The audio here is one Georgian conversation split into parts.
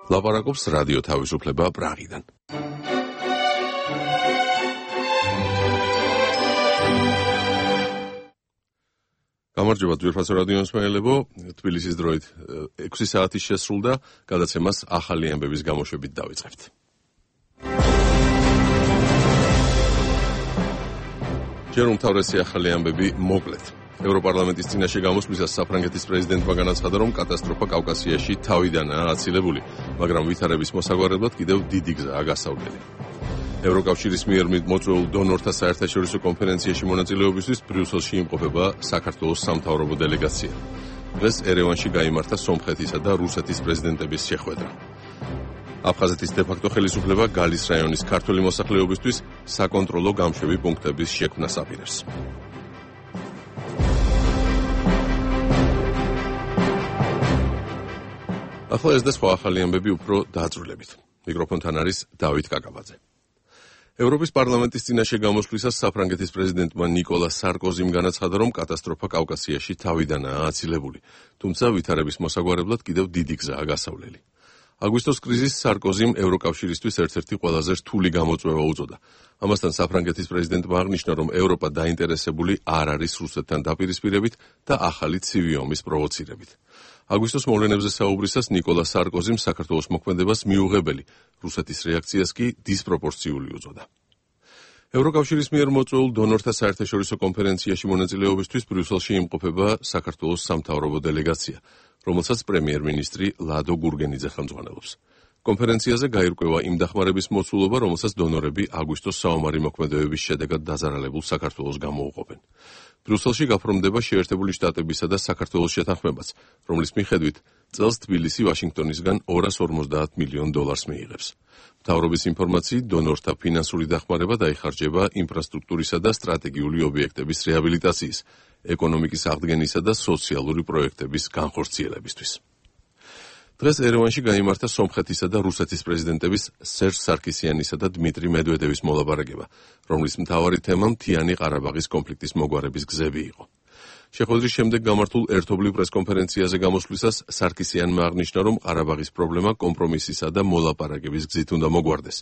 ლაპარაკობს რადიო თავისუფლება პრაღიდან. გამარჯობა ძვირფასო რადიო მსმენელებო, თბილისის დროით 6 საათი შესრულდა, გადაცემას ახალი ამბების გამოშვებით დავიწყებთ. ჯერ უმთავრესი ახალი ამბები მოკლედ. ევროპარლამენტის წინაშე გამოსვლისას საფრანგეთის პრეზიდენტმა განაცხადა, რომ კატასტროფა კავკასიაში თავიდანაა აცილებული, მაგრამ ვითარების მოსაგვარებლად კიდევ დიდი გზაა გასავლელი. ევროკავშირის მიერ მოწვეულ დონორთა საერთაშორისო კონფერენციაში მონაწილეობისთვის ბრიუსელში იმყოფება საქართველოს სამთავრობო დელეგაცია. დღეს ერევანში გაიმართა სომხეთისა და რუსეთის პრეზიდენტების შეხვედრა. აფხაზეთის დე-ფაქტო ხელისუფლება გალის რაიონის ქართველი მოსახლეობისთვის საკონტროლო გამშვები პუნქტების შექმნას აპირებს. ახლა ეს და სხვა ახალი ამბები უფრო დაძრულებით. მიკროფონთან არის დავით კაკაბაძე. ევროპის პარლამენტის წინაშე გამოსვლისას საფრანგეთის პრეზიდენტმა ნიკოლა სარკოზიმ განაცხადა, რომ კატასტროფა კავკასიაში თავიდანაა აცილებული, თუმცა ვითარების მოსაგვარებლად კიდევ დიდი გზაა გასავლელი. აგვისტოს კრიზისს სარკოზიმ ევროკავშირისთვის ერთ-ერთი ყველაზე რთული გამოწვევა უწოდა. ამასთან საფრანგეთის პრეზიდენტმა აღნიშნა, რომ ევროპა დაინტერესებული არ არის რუსეთთან დაპირისპირებით და ახალი ცივი ომის პროვოცირებით. აგვისტოს მოვლენებზე საუბრისას ნიკოლა სარკოზიმ საქართველოს მოქმედებას მიუღებელი, რუსეთის რეაქციას კი დისპროპორციული უწოდა. ევროკავშირის მიერ მოწვეულ დონორთა საერთაშორისო კონფერენციაში მონაწილეობისთვის ბრიუსელში იმყოფება საქართველოს სამთავრობო დელეგაცია, რომელსაც პრემიერ-მინისტრი ლადო გურგენიძე ხელმძღვანელობს. კონფერენციაზე გაირკვევა იმ დახმარების მოცულობა, რომელსაც დონორები აგვისტოს საომარი მოქმედებების შედეგად დაზარალებულ საქართველოს გამოუყოფენ. ბრიუსელში გაფორმდება შეერთებული შტატებისა და საქართველოს შეთანხმებაც, რომლის მიხედვით წელს თბილისი ვაშინგტონისგან $250 მილიონ მიიღებს. მთავრობის ინფორმაციით, დონორთა ფინანსური დახმარება დაიხარჯება ინფრასტრუქტურისა და სტრატეგიული ობიექტების რეაბილიტაციის, ეკონომიკის აღდგენისა და სოციალური პროექტების განხორციელებისთვის. დღეს ერევანში გაიმართა სომხეთისა და რუსეთის პრეზიდენტების სერჟ სარკისიანისა და დმიტრი მედვედევის მოლაპარაკება, რომლის მთავარი თემა მთიანი ყარაბაღის კონფლიქტის მოგვარების გზები იყო. შეხვედრის შემდეგ გამართულ ერთობლივ პრესკონფერენციაზე გამოსვლისას სარკისიანმა აღნიშნა, რომ ყარაბაღის პრობლემა კომპრომისისა და მოლაპარაკების გზით უნდა მოგვარდეს.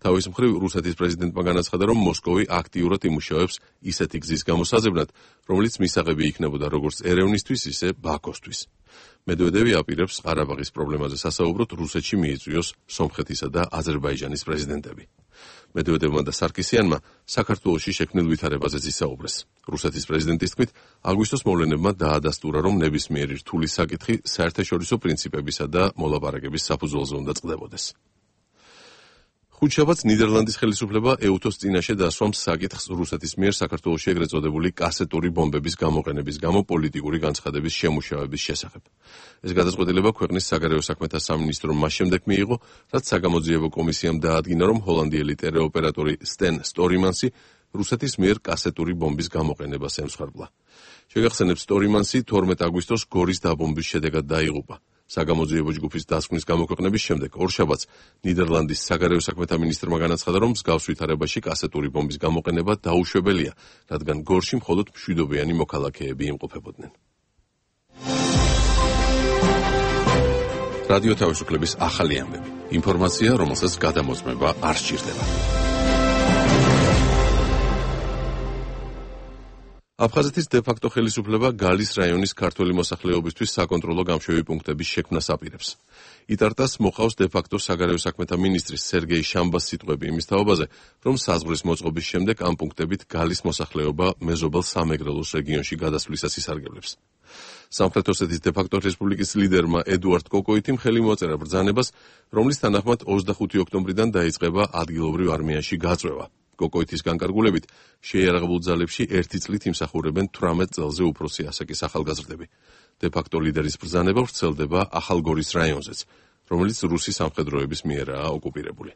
თავის მხრივ რუსეთის პრეზიდენტმა განაცხადა, რომ მოსკოვი აქტიურად იმუშავებს ისეთი გზის გამოსაძებნად, რომელიც მისაღები იქნებოდა როგორც ერევნისთვის, ისე ბაქოსთვის. მედვედევი აპირებს ყარაბაღის პრობლემაზე სასაუბროდ რუსეთში მიიწვიოს სომხეთისა და აზერბაიჯანის პრეზიდენტები. მედვედევმა და სარკისიანმა საქართველოში შექმნილ ვითარებაზეც ისაუბრეს. რუსეთის პრეზიდენტის თქმით, აგვისტოს მოვლენებმა დაადასტურა, რომ ნებისმიერი რთული საკითხი საერთაშორისო პრინციპებისა და მოლაპარაკების საფუძველზე უნდა წყდებოდეს. ხუთშაბათს ნიდერლანდის ხელისუფლება ეუთოს წინაშე დასვამს საკითხს რუსეთის მიერ საქართველოში ეგრეთ წოდებული კასეტური ბომბების გამოყენების გამო პოლიტიკური განცხადების შემუშავების შესახებ. ეს გადაწყვეტილება ქვეყნის საგარეო საქმეთა სამინისტრომ მას შემდეგ მიიღო, რაც საგამოძიებო კომისიამ დაადგინა, რომ ჰოლანდიელი ტელეოპერატორი სტენ სტორიმანსი რუსეთის მიერ კასეტური ბომბის გამოყენებას ემსხვერპლა. შეგახსენებთ, სტორიმანსი 12 აგვისტოს გორის დაბომბვის შედეგად დაიღუპა. საგამოძიებო ჯგუფის დასკვნის გამოქვეყნების შემდეგ ორშაბათს ნიდერლანდის საგარეო საქმეთა მინისტრმა განაცხადა, რომ მსგავს ვითარებაში კასეტური ბომბის გამოყენება დაუშვებელია, რადგან გორში მხოლოდ მშვიდობიანი მოქალაქეები იმყოფებოდნენ. რადიო თავისუფლების ახალი ამბები. ინფორმაცია, რომელსაც გადამოწმება არ სჭირდება. აფხაზეთის დე-ფაქტო ხელისუფლება გალის რაიონის ქართველი მოსახლეობისთვის საკონტროლო გამშვები პუნქტების შექმნას აპირებს. იტარტას მოყავს დე-ფაქტო საგარეო საქმეთა მინისტრის სერგეი შამბას სიტყვები იმის თაობაზე, რომ საზღვრის მოწყობის შემდეგ ამ პუნქტებით გალის მოსახლეობა მეზობელ სამეგრელოს რეგიონში გადასვლისას ისარგებლებს. სამხრეთ ოსეთის დე-ფაქტო რესპუბლიკის ლიდერმა ედუარდ კოკოიტიმ ხელი მოაწერა ბრძანებას, რომლის თანახმად 25 ოქტომბრიდან დაიწყება ადგილობრივ არმიაში გაწვევა. კოკოიტის განკარგულებით შეიარაღებულ ძალებში 1 წლით იმსახურებენ 18 წელზე უფროსი ასაკის ახალგაზრდები. დე-ფაქტო ლიდერის ბრძანება ვრცელდება ახალგორის რაიონზეც, რომელიც რუსი სამხედროების მიერაა ოკუპირებული.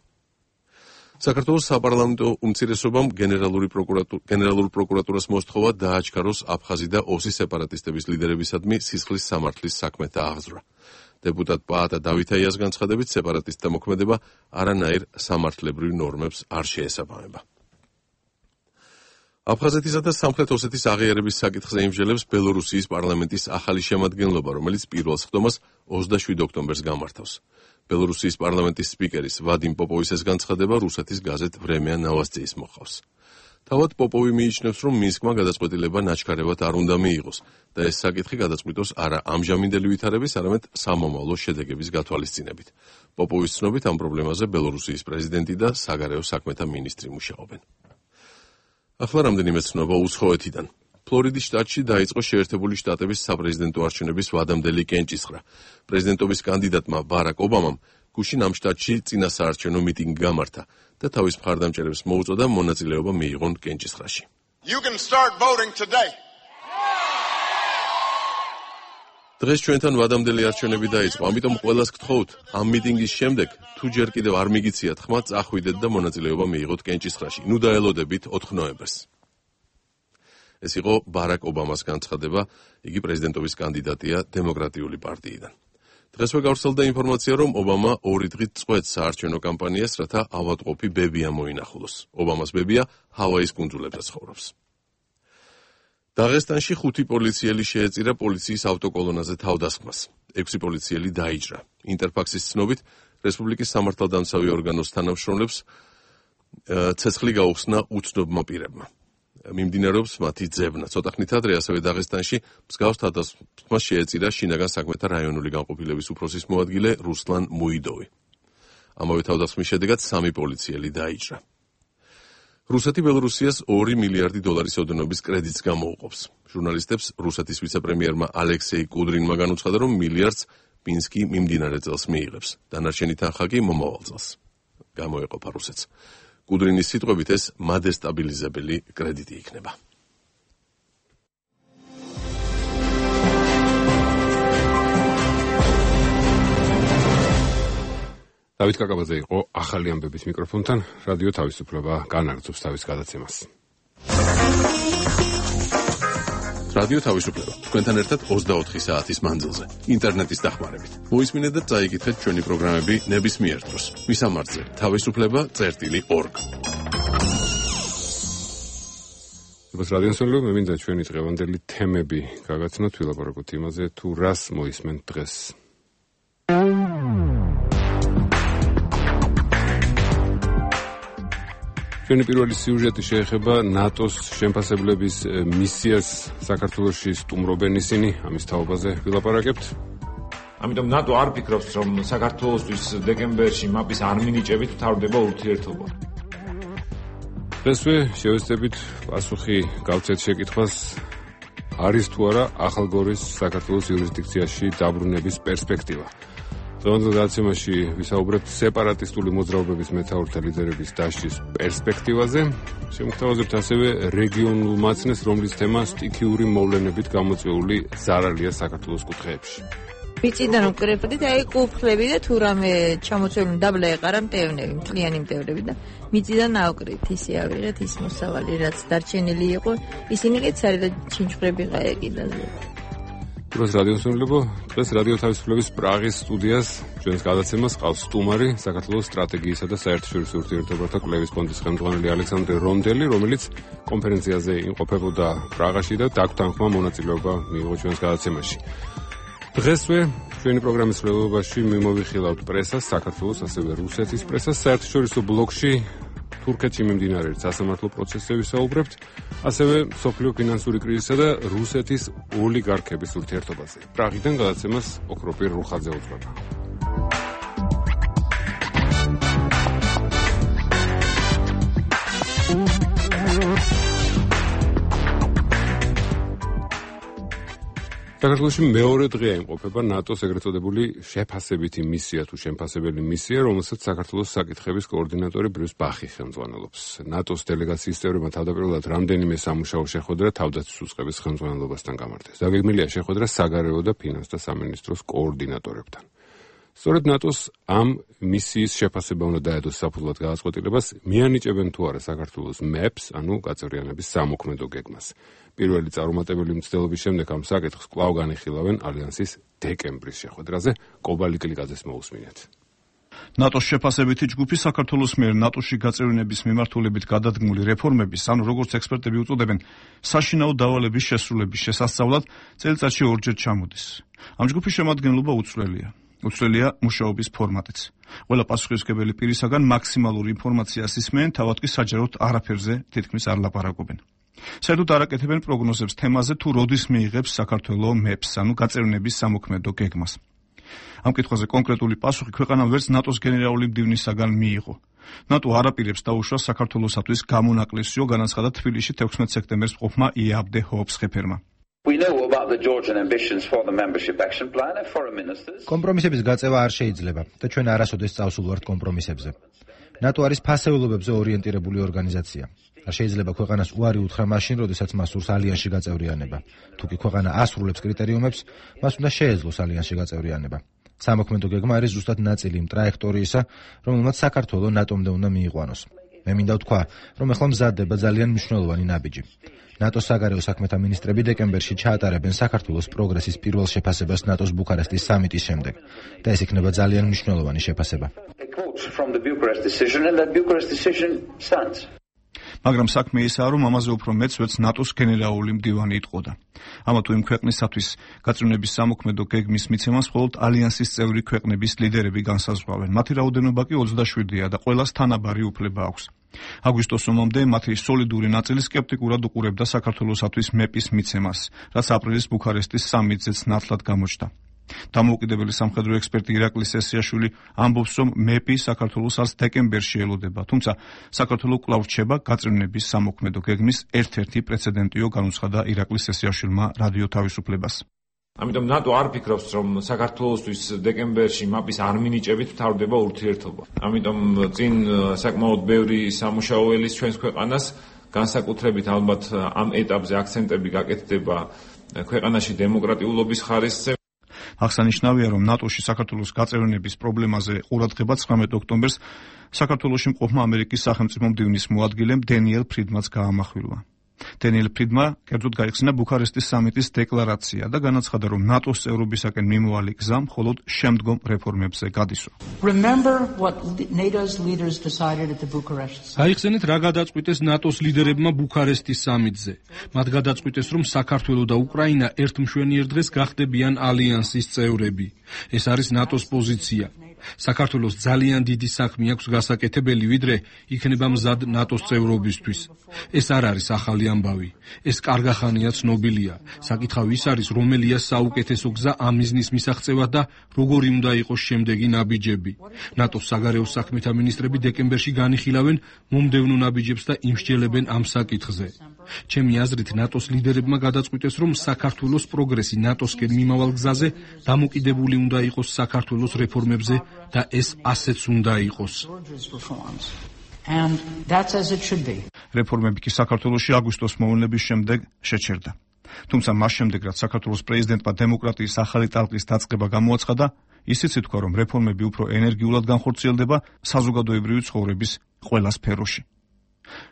საქართველოს საპარლამენტო უმცირესობამ გენერალურ პროკურატურას მოსთხოვა დააჩქაროს აფხაზი და ოსი სეპარატისტების ლიდერებისადმი სისხლის სამართლის საქმეთა აღძვრა. დეპუტატ პაატა დავითაიას განცხადებით, სეპარატისტთა მოქმედება არანაირ სამართლებრივ ნორმებს არ შეესაბამება. აფხაზეთისა და სამხრეთ ოსეთის აღიარების საკითხზე იმსჯელებს ბელორუსიის პარლამენტის ახალი შემადგენლობა, რომელიც პირველ სხდომას 27 ოქტომბერს გამართავს. ბელორუსიის პარლამენტის სპიკერის ვადიმ პოპოვის განცხადება რუსეთის გაზეთ ვრემია ნოვოსტიის მოყავს. თავად პოპოვი მიიჩნევს, რომ მინსკმა გადაწყვეტილება ნაჩქარევად არ უნდა მიიღოს და ეს საკითხი გადაწყვიტოს არა ამჟამინდელი ვითარების, არამედ სამომავლო შედეგების გათვალისწინებით. პოპოვის ცნობით ამ პრობლემაზე ბელორუსიის პრეზიდენტი და საგარეო საქმეთა მინისტრი მუშაობენ. ახლა რამდენიმე ცნობა უცხოეთიდან. ფლორიდის შტატში დაიწყო შეერთებული შტატების საპრეზიდენტო არჩევნების ვადამდელი კენჭისყრა. პრეზიდენტობის კანდიდატმა ბარაკ ობამამ გუშინ ამ შტატში წინა საარჩევნო მიტინგი გამართა და თავის მხარდამჭერებს მოუწოდა მონაწილეობა მიიღონ კენჭისყრაში. დღეს ჩვენთან ვადამდელი არჩევნები დაიწყო, ამიტომ ყველას გთხოვთ, ამ მიტინგის შემდეგ, თუ ჯერ კიდევ არ მიგიციათ ხმა, წახვიდეთ და მონაწილეობა მიიღოთ კენჭისყრაში. ნუ დაელოდებით 4 ნოემბერს. ეს იყო ბარაკ ობამას განცხადება, იგი პრეზიდენტობის კანდიდატია დემოკრატიული პარტიიდან. დღესვე გავრცელდა ინფორმაცია, რომ ობამა 2 დღით წყვეტს საარჩევნო კამპანიას, რათა ავადმყოფი ბებია მოინახულოს. ობამას ბებია ჰავაის კუნძულებზე ცხოვრობს. დაღესტანში 5 პოლიციელი შეეწირა პოლიციის ავტოკოლონაზე თავდასხმას. 6 პოლიციელი დაიჭრა. ინტერფაქსის ცნობით, რესპუბლიკის სამართალდამცავი ორგანოს თანამშრომლებს ცეცხლი გაუხსნა უცნობმა პირებმა. მიმდინარეობს მათი ძებნა. ცოტა ხნით ადრე ასევე დაღესტანში მსგავს თავდასხმას შეეწირა შინაგან საქმეთა რაიონული განყოფილების უფროსის მოადგილე რუსლან მუიდოვი. ამავე თავდასხმის შედეგად 3 პოლიციელი დაიჭრა. რუსეთი ბელორუსიას 2 მილიარდი დოლარის ოდენობის კრედიტს გამოუყოფს. ჟურნალისტებს რუსეთის ვიცე-პრემიერმა ალექსეი კუდრინმა განუცხადა, რომ მილიარდს მინსკი მიმდინარე წელს მიიღებს. დანარჩენი თანხა კი მომავალ წელს გამოეყოფა რუსეთს. კუდრინის სიტყვებით ეს მადესტაბილიზებელი კრედიტი იქნება. დავით კაკაბაძე იყო ახალი ამბების მიკროფონთან, რადიო თავისუფლება განაგრძობს თავის გადაცემას. რადიო თავისუფლება თქვენთან ერთად 24 საათის მანძილზე, ინტერნეტის დახმარებით. მოისმინეთ და წაიკითხეთ ჩვენი პროგრამები ნებისმიერ დროს. მისამართზე თავისუფლება.org. ოს რადიოსოლო მე მინდა ჩვენი დღევანდელი თემები გაგაცნოთ, ვილაპარაკოთ იმაზე, თუ რას მოისმენთ დღეს. ჩვენი პირველი სიუჟეტი შეეხება ნატოს შემფასებლების მისიას საქართველოში სტუმრობენ ისინი, ამის თაობაზე ვილაპარაკებთ. ამიტომ ნატო არ ფიქრობს, რომ საქართველოსთვის დეკემბერში მაპის არ მინიჭებით მთავრდება ურთიერთობა. დღესვე შევეცდებით პასუხი გავცეთ შეკითხვას, არის თუ არა ახალგორის საქართველოს იურისდიქციაში დაბრუნების პერსპექტივა. დღევანდელ გადაცემაში ვისაუბრებთ სეპარატისტული მოძრაობების მეთაურთა ლიდერების დასჯის პერსპექტივაზე. შემოგთავაზებთ ასევე რეგიონულ მაცნეს, რომლის თემა სტიქიური მოვლენებით გამოწვეული ზარალია საქართველოს კუთხეებში. მიწიდან უკრებდით, კუფლები და თუ რამე ჩამოცველი დაბლა ეყარა მტევნები, მთლიანი მტევნები და მიწიდან ავკრით, ისე ავიღეთ ის მოსავალი, რაც დარჩენილი იყო, ისინი კი ცარი და ჩინჩხრები ყაეკიდაზე. დროს რადიოსუნლებო, დღეს რადიო თავისუფლების პრაღის სტუდიას ჩვენს გადაცემას ყავს სტუმარი, საქართველოს სტრატეგიისა და საერთაშორისო ურთიერთობათა კვლევის ფონდის ხელმძღვანელი ალექსანდრე რომდელი, რომელიც კონფერენციაზე იმყოფებოდა პრაღაში და დაგვთანხმა მონაწილეობა მიიღო ჩვენს გადაცემაში. დღესვე ჩვენი პროგრამის მკვლელობაში მიმოვიხილავთ პრესას, საქართველოს ასევე რუსეთის პრესას, საერთაშორისო ბლოკში თურქეთში მიმდინარე სასამართლო პროცესზე ვისაუბრებთ, ასევე სოფლიო ფინანსური კრიზისსა და რუსეთის ოლიგარქების ურთიერთობაზე. პრაღიდან გადაცემას ოქროპირ რუხაძე უძღვება. საქართველოში მეორე დღეა იმყოფება ნატოს ეგრეთ წოდებული შეფასებითი მისია თუ შემფასებელი მისია, რომელსაც საქართველოს საკითხების კოორდინატორი ბრიუს ბახი ხელმძღვანელობს. ნატოს დელეგაციის წევრებმა თავდაპირველად რამდენიმე სამუშაო შეხვედრა თავდაცვის უწყების ხელმძღვანელობასთან გამართეს. დაგეგმილია შეხვედრა საგარეო და ფინანსთა სამინისტროს კოორდინატორებთან. სწორედ ნატოს ამ მისიის შეფასება უნდა დაედოს საფუძვლად გადაწყვეტილებას, მიანიჭებენ თუ არა საქართველოს მეპს, ანუ გაწევრიანების სამოქმედო გეგმას. პირველი წარუმატებელი მცდელობის შემდეგ ამ საკითხს კვლავ განიხილავენ ალიანსის დეკემბრის შეხვედრაზე. კობალი კლიკაძეს მოусმინეთ. ნატოს შეფასებითი ჯგუფი საქართველოს მიერ ნატოში გაწევრიანების მიმართულებით გადადგმული რეფორმების, ანუ როგორც ექსპერტები უწოდებენ, საშინაო დავალების შესრულების შესასწავლად წელიწადში ორჯერ ჩამოდის. ამ ჯგუფის შემადგენლობა უცვლელია. უცვლელია მუშაობის ფორმატიც. ყველა პასუხისმგებელი პირისაგან მაქსიმალური ინფორმაციას ისმენ, თავად კი საჯაროდ არაფერზე თითქმის არ ლაპარაკობენ. საერთოდ არ აკეთებენ პროგნოზებს თემაზე, თუ როდის მიიღებს საქართველო მეფს, ანუ გაწევრიანების სამოქმედო გეგმას. ამ კითხვაზე კონკრეტული პასუხი ქვეყანამ ვერც ნატოს გენერალური მდივნისაგან მიიღო. ნატო არ აპირებს დაუშვას საქართველოსათვის გამონაკლისიო, განაცხადა თბილისში 16 სექტემბერს მყოფმა იაბდე ჰოობს-ხეფერმა. კომპრომისების გაწევა არ შეიძლება და ჩვენ არასოდეს წავსულვართ კომპრომისებზე. ნატო არის ფასეულობებზე ორიენტირებული ორგანიზაცია. არ შეიძლება ქვეყანას უარი უთხრა მაშინ, როდესაც მას სურს ალიანსში გაწევრიანება. თუ კი ქვეყანა ასრულებს კრიტერიუმებს, მას უნდა შეეძლოს ალიანსში გაწევრიანება. სამოქმედო გეგმა არის ზუსტად ნაწილი იმ ტრაექტორიისა, რომელმაც საქართველო ნატომდე უნდა მიიყვანოს. მე მინდა ვთქვა, რომ ახლა მზადდება ძალიან მნიშვნელოვანი ნაბიჯი. ნატოს საგარეო საქმეთა მინისტრები დეკემბერში ჩაატარებენ საქართველოს პროგრესის პირველ შეფასებას ნატოს ბუქარესტის სამიტის შემდეგ და ეს იქნება ძალიან მნიშვნელოვანი შეფასება. მაგრამ საქმე ისაა, რომ ამაზე უფრო მეც ვერც ნატოს გენერალური მდივანი იტყოდა. ამა თუ იმ ქვეყნისათვის გაწევრიანების სამოქმედო გეგმის მიცემას მხოლოდ ალიანსის წევრი ქვეყნების ლიდერები განსაზღვრავენ. მათი რაოდენობა კი 27-ია და ყველას თანაბარი უფლება აქვს. აგვისტოს ომამდე მათი სოლიდური ნაწილი სკეპტიკურად უყურებდა საქართველოსათვის მეპის მიცემას, რაც აპრილის ბუქარესტის სამიტზეც ნათლად გამოჩნდა. დამოუკიდებელი სამხედრო ექსპერტი ირაკლი სესიაშვილი ამბობს, რომ მეპი საქართველოს არც დეკემბერში ელოდება, თუმცა საქართველო კვლავ რჩება გაწევრიანების სამოქმედო გეგმის ერთ-ერთი პრეცედენტიო, განუცხადა ირაკლი სესიაშვილმა რადიო თავისუფლებას. ამიტომ ნატო არ ფიქრობს, რომ საქართველოსთვის დეკემბერში მაპის არ მინიჭებით მთავრდება ურთიერთობა. ამიტომ წინ საკმაოდ ბევრი სამუშაო ელის ჩვენს ქვეყანას, განსაკუთრებით ალბათ ამ ეტაპზე აქცენტები გაკეთდება ქვეყანაში დემოკრატიულობის ხარისხზე. აღსანიშნავია, რომ ნატოში საქართველოს გაწევრიანების პრობლემაზე ყურადღება 19 ოქტომბერს საქართველოში მყოფმა ამერიკის სახელმწიფო მდივნის მოადგილემ დენიელ ფრიდმანს გაამახვილა. დენიელ ფრიდმა კერძოდ გაიხსნა ბუქარესტის სამიტის დეკლარაცია და განაცხადა, რომ ნატოს წევრობისაკენ მიმავალი გზა მხოლოდ შემდგომ რეფორმებზე გადისვა. გაიხსენეთ, რა გადაწყვიტეს ნატოს ლიდერებმა ბუქარესტის სამიტზე. მათ გადაწყვიტეს, რომ საქართველო და უკრაინა ერთმშვენიერ დღეს გახდებიან ალიანსის წევრები. ეს არის ნატოს პოზიცია. საქართველოს ძალიან დიდი საქმე აქვს გასაკეთებელი, ვიდრე იქნება მზად ნატოს წევრობისთვის. ეს არ არის ახალი ამბავი. ეს კარგახანია ცნობილია. საკითხავი ის არის, რომელია საუკეთესო გზა ამ მიზნის მისაღწევად და როგორი უნდა იყოს შემდეგი ნაბიჯები. ნატოს საგარეო საქმეთა მინისტრები დეკემბერში განიხილავენ მომდევნო ნაბიჯებს და იმსჯელებენ ამ საკითხზე. ჩემი აზრით, ნატოს ლიდერებმა გადაწყვიტეს, რომ საქართველოს პროგრესი ნატოსკენ მიმავალ გზაზე დამოკიდებული უნდა იყოს საქართველოს რეფორმებზე და ეს ასეც უნდა იყოს. რეფორმები კი საქართველოში აგვისტოს მოვლენების შემდეგ შეჩერდა. თუმცა მას შემდეგ, რაც საქართველოს პრეზიდენტმა დემოკრატიის ახალი ტალღის დაწყება გამოაცხადა, ისიც ითქვა, რომ რეფორმები უფრო ენერგიულად განხორციელდება საზოგადოებრივი ცხოვრების ყველა სფეროში.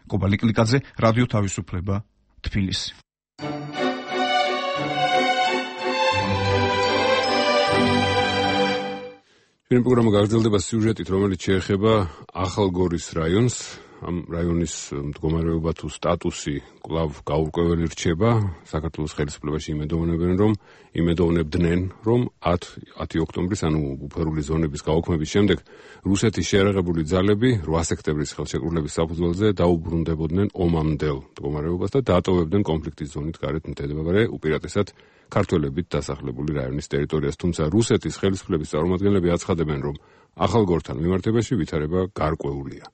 კობალი კლიკაძე, რადიო თავისუფლება, თბილისი. ჩვენი პროგრამა გაგრძელდება სიუჟეტით, რომელიც შეეხება ახალგორის რაიონს. ამ რაიონის მდგომარეობა თუ სტატუსი კვლავ გაურკვეველი რჩება. საქართველოს ხელისუფლებაში იმედოვნებდნენ, რომ 10 ოქტომბრის, ანუ ბუფერული ზონების გაუქმების შემდეგ რუსეთის შეერაღებული ძალები 8 სექტემბრის ხელშეკრულების საფუძველზე დაუბრუნდებოდნენ ომამდელ მდგომარეობას და დაატოვებდნენ კონფლიქტის ზონით გარეთ მდებარე უპირატესად ქართველებით დასახლებული რაიონის ტერიტორიას. თუმცა რუსეთის ხელისუფლების წარმომადგენლები აცხადებენ, რომ ახალგორთან მიმართებაში ვითარება გარკვეულია.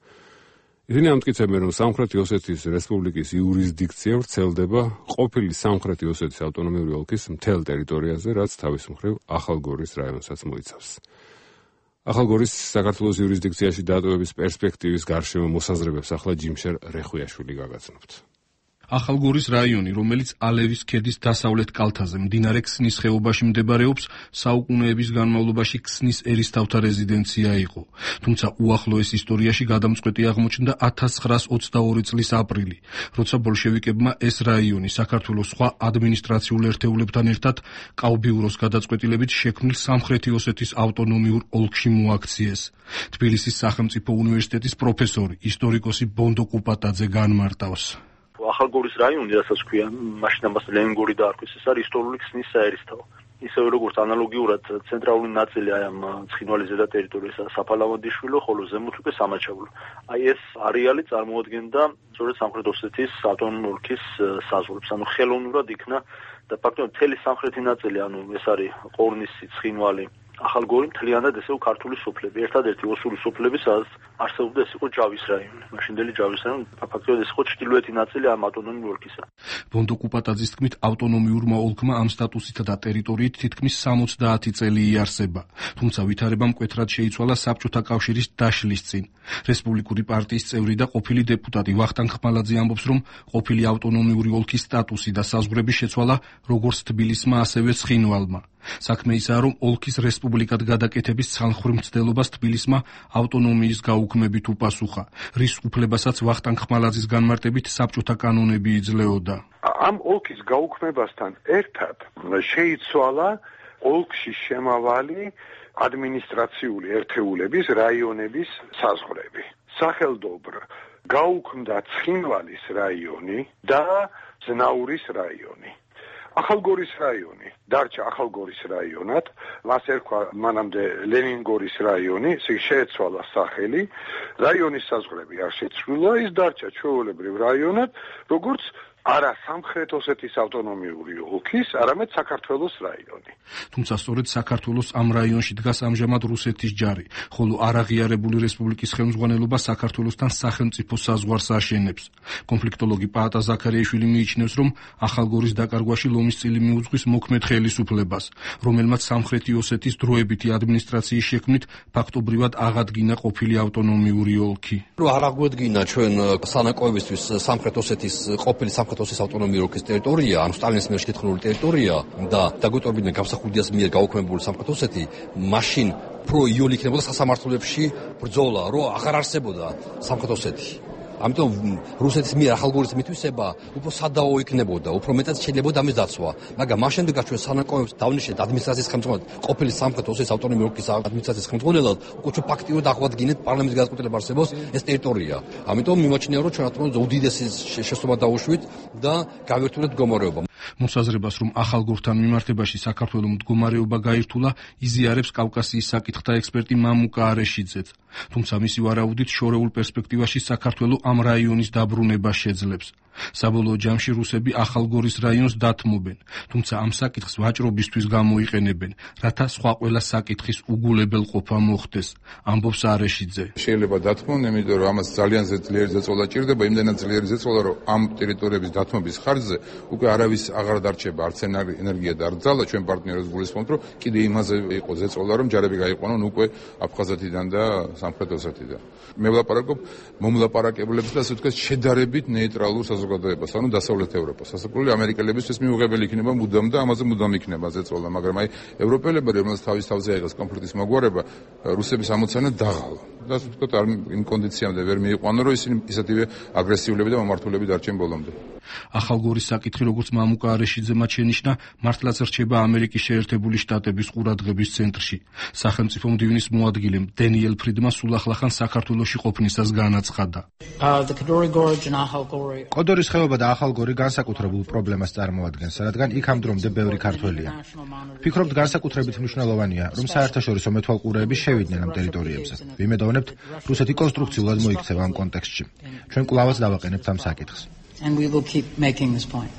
ისინი ამტკიცებენ, რომ სამხრეთი ოსეთის რესპუბლიკის იურისდიქცია ვრცელდება ყოფილი სამხრეთი ოსეთის ავტონომიური ოლქის მთელ ტერიტორიაზე, რაც თავის მხრივ ახალგორის რაიონსაც მოიცავს. ახალგორის საქართველოს იურისდიქციაში დატოვების პერსპექტივის გარშემო მოსაზრებებს ახლა ჯიმშერ რეხვიაშვილი გაგაცნობთ. ახალგორის რაიონი, რომელიც ალევის ქედის დასავლეთ კალთაზე, მდინარე ქსნის ხეობაში მდებარეობს, საუკუნეების განმავლობაში ქსნის ერისთავთა რეზიდენცია იყო. თუმცა უახლოეს ისტორიაში გადამწყვეტი აღმოჩნდა 1922 წლის აპრილი, როცა ბოლშევიკებმა ეს რაიონი საქართველოს სხვა ადმინისტრაციულ ერთეულებთან ერთად კავბიუროს გადაწყვეტილებით შექმნილ სამხრეთი ოსეთის ავტონომიურ ოლქში მოაქციეს. თბილისის სახელმწიფო უნივერსიტეტის პროფესორი, ისტორიკოსი ბონდო კუპატაძე განმარტავს. ახალგორის რაიონი, რასაც ქვია, მაშინ ამას ლენინგორი დაარქვეს, ეს არის ისტორიული ქსნის საერისთავო. ისევე როგორც ანალოგიურად ცენტრალური ნაწილი აი ამ ცხინვალის ზედა ტერიტორიისა საფალავანდიშვილო, ხოლო ზემოთ უკვე სამაჩაბლო. აი ეს არეალი წარმოადგენდა სწორედ სამხრეთ ოსეთის ავტონომიური ოლქის საზღვრებს, ანუ ხელოვნურად იქნა და ფაქტობრივად მთელი სამხრეთი ნაწილი, ანუ ეს არის ყორნისი, ცხინვალი, ახალგორი მთლიანად ესე ქართული სოფლები, ერთადერთი ოსური სოფლები, სადაც არსებობდა ეს იყო ჯავის რაიონი. მაშინდელი ჯავის რაიონი ფაქტობრივად ეს იყო ჩრდილოეთი ნაწილი ამ ავტონომიური ოლქისა. ბონდო კუპატაძის თქმით, ავტონომიურმა ოლქმა ამ სტატუსითა და ტერიტორიით თითქმის 70 წელი იარსება. თუმცა ვითარება მკვეთრად შეიცვალა საბჭოთა კავშირის დაშლის წინ. რესპუბლიკური პარტიის წევრი და ყოფილი დეპუტატი ვახტანგ ხმალაძე ამბობს, რომ ყოფილი ავტონომიური ოლქის სტატუსი და საზღვრები შეცვალა როგორც თბილისმა, ასევე ცხინვალმა. საქმე ისაა, რომ ოლქის რესპუბლიკად გადაკეთების ცალმხრივ მცდელობას თბილისმა ავტონომიის გაუქმებით უპასუხა, რის უფლებასაც ვახტანგ ხმალაძის განმარტებით საბჭოთა კანონები იძლეოდა. ამ ოლქის გაუქმებასთან ერთად შეიცვალა ოლქში შემავალი ადმინისტრაციული ერთეულების, რაიონების საზღვრები. სახელდობრ გაუქმდა ცხინვალის რაიონი და ზნაურის რაიონი. ახალგორის რაიონი დარჩა ახალგორის რაიონად, მას ერქვა მანამდე ლენინგორის რაიონი, შეეცვალა სახელი, რაიონის საზღვრები არ შეცვლილა, ის დარჩა ჩვეულებრივ რაიონად, როგორც არა სამხრეთ ოსეთის ავტონომიური ოლქის, არამედ საქართველოს რაიონი. თუმცა სწორედ საქართველოს ამ რაიონში დგას ამჟამად რუსეთის ჯარი, ხოლო არაღიარებული რესპუბლიკის ხელმძღვანელობა საქართველოსთან სახელმწიფო საზღვარს აშენებს. კონფლიქტოლოგი პაატა ზაქარიაშვილი მიიჩნევს, რომ ახალგორის დაკარგვაში ლომის წილი მიუძღვის მოქმედ ხელისუფლებას, რომელმაც სამხრეთი ოსეთის დროებითი ადმინისტრაციის შექმნით ფაქტობრივად აღადგინა ყოფილი ავტონომიური ოლქი. არ აღვედგინა ჩვენ სანაკოებისთვის სამხრეთ ოსეთის ყოფილი ოსეთის ავტონომიური ოლქის ტერიტორია, ანუ სტალინის მიერ შეთქმული ტერიტორია და დაგვეტოვებინა გამსახურდიას მიერ გაუქმებული სამხრეთ ოსეთი, მაშინ უფრო იოლი იქნებოდა სასამართლოებში ბრძოლა, რომ აღარ არსებოდა სამხრეთ ოსეთი. ამიტომ რუსეთის მიერ ახალგორის მითვისება უფრო სადაო იქნებოდა, უფრო მეტად შეიძლება ამის დაცვა. მაგრამ მას შემდეგაც ჩვენ სანაკოებს დავნიშნეთ ადმინისტრაციის ხელმძღვანელად, ყოფილი სამხრეთ ოსეთის ავტონომიური ოლქის ადმინისტრაციის ხელმძღვანელად, უკვე ჩვენ ფაქტიურად აღვადგინეთ პარლამენტის გადაწყვეტილება არსებობს ეს ტერიტორია. ამიტომ მიმაჩნია, რომ ჩვენ რა უდიდესი შესაძლებლობა დაუშვით და გავერთულეთ მდგომარეობა. მოსაზრებას, რომ ახალგორთან მიმართებაში საქართველოს მდგომარეობა გაირთულა, იზიარებს კავკასიის საკითხთა ექსპერტი მამუკა არეშიძეც. თუმცა მისი ვარაუდით შორეულ პერსპექტივაში საქართველოს ამ რაიონის დაბრუნება შეძლებს. საბოლოო ჯამში რუსები ახალგორის რაიონს დათმობენ, თუმცა ამ საკითხს ვაჭრობისთვის გამოიყენებენ, რათა სხვა ყველა საკითხის უგულებელყოფა მოხდეს, ამბობს არეშიძე. შეიძლება დათმონ, იმიტომ რომ ამას ძალიან ძლიერი ზეწოლა ჭირდება, იმდენად ძლიერი ზეწოლა, რომ ამ ტერიტორიების დათმობის ხარჯზე უკვე არავის აღარ დარჩება არც ენერგია და არც ძალა. ჩვენ პარტნიორებს გულისხმობთ, რომ კიდე იმაზე იყო ზეწოლა, რომ ჯარები გაიყვანონ უკვე აფხაზეთიდან და სამხრეთ ოსეთიდან. მე ვლაპარაკობ მომლაპარაკებლებს და ასე ვთქვათ შედარებით ნეიტრალურ საზოგადოებას, ანუ დასავლეთ ევროპას. ასაკული ამერიკელებისთვის მიუღებელი იქნება მუდამ და ამაზე მუდამ იქნება ზეწოლა, მაგრამ აი ევროპელები, რომელსაც თავის თავზე აიღეს კონფლიქტის მოგვარება, რუსების ამოცანა დაღალა. და ასე ვთქვათ იმ კონდიციამდე ვერ მიიყვანო, რომ ისინი ისეთივე აგრესიულები და მომართულები დარჩენ ბოლომდე. ახალგორის საკითხი, როგორც მამუკა არეშიძემ შენიშნა, მართლაც რჩება ამერიკის შეერთებული შტატების ყურადღების ცენტრში. სახელმწიფო მდივნის მოადგილემ დენიელ ფრიდმა სულ ახლახან საქართველოში ყოფნისას განაცხადა. კოდორის ხეობა და ახალგორი განსაკუთრებულ პრობლემას წარმოადგენს, რადგან იქ ამ დრომდე ბევრი ქართველია. ვფიქრობთ, განსაკუთრებით მნიშვნელოვანია, რომ საერთაშორისო მეთვალყურეები შევიდნენ ამ ტერიტორიებზე. ვიმედოვნებთ, რუსეთი კონსტრუქციულად მოიქცევა ამ კონტექსტში. ჩვენ კვლავაც დავაყენებთ ამ საკითხს. And we will keep making this point.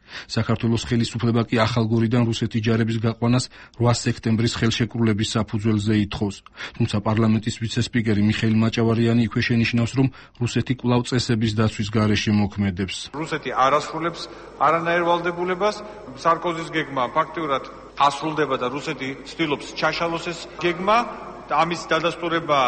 საქართველოს ხელისუფლება კი ახალგორიდან რუსეთის ჯარების გაყვანას 8 სექტემბრის ხელშეკრულების საფუძველზე ითხოვს. თუმცა პარლამენტის ვიცე-სპიკერი მიხეილ მაჭავარიანი იქვე შენიშნავს, რომ რუსეთი კვლავ წესების დაცვის გარეშე მოქმედებს. რუსეთი არ ასრულებს არანაირ ვალდებულებას, სარკოზის გეგმა ფაქტიურად ასრულდება და რუსეთი ცდილობს ჩაშალოს ეს გეგმა. ამის დადასტურება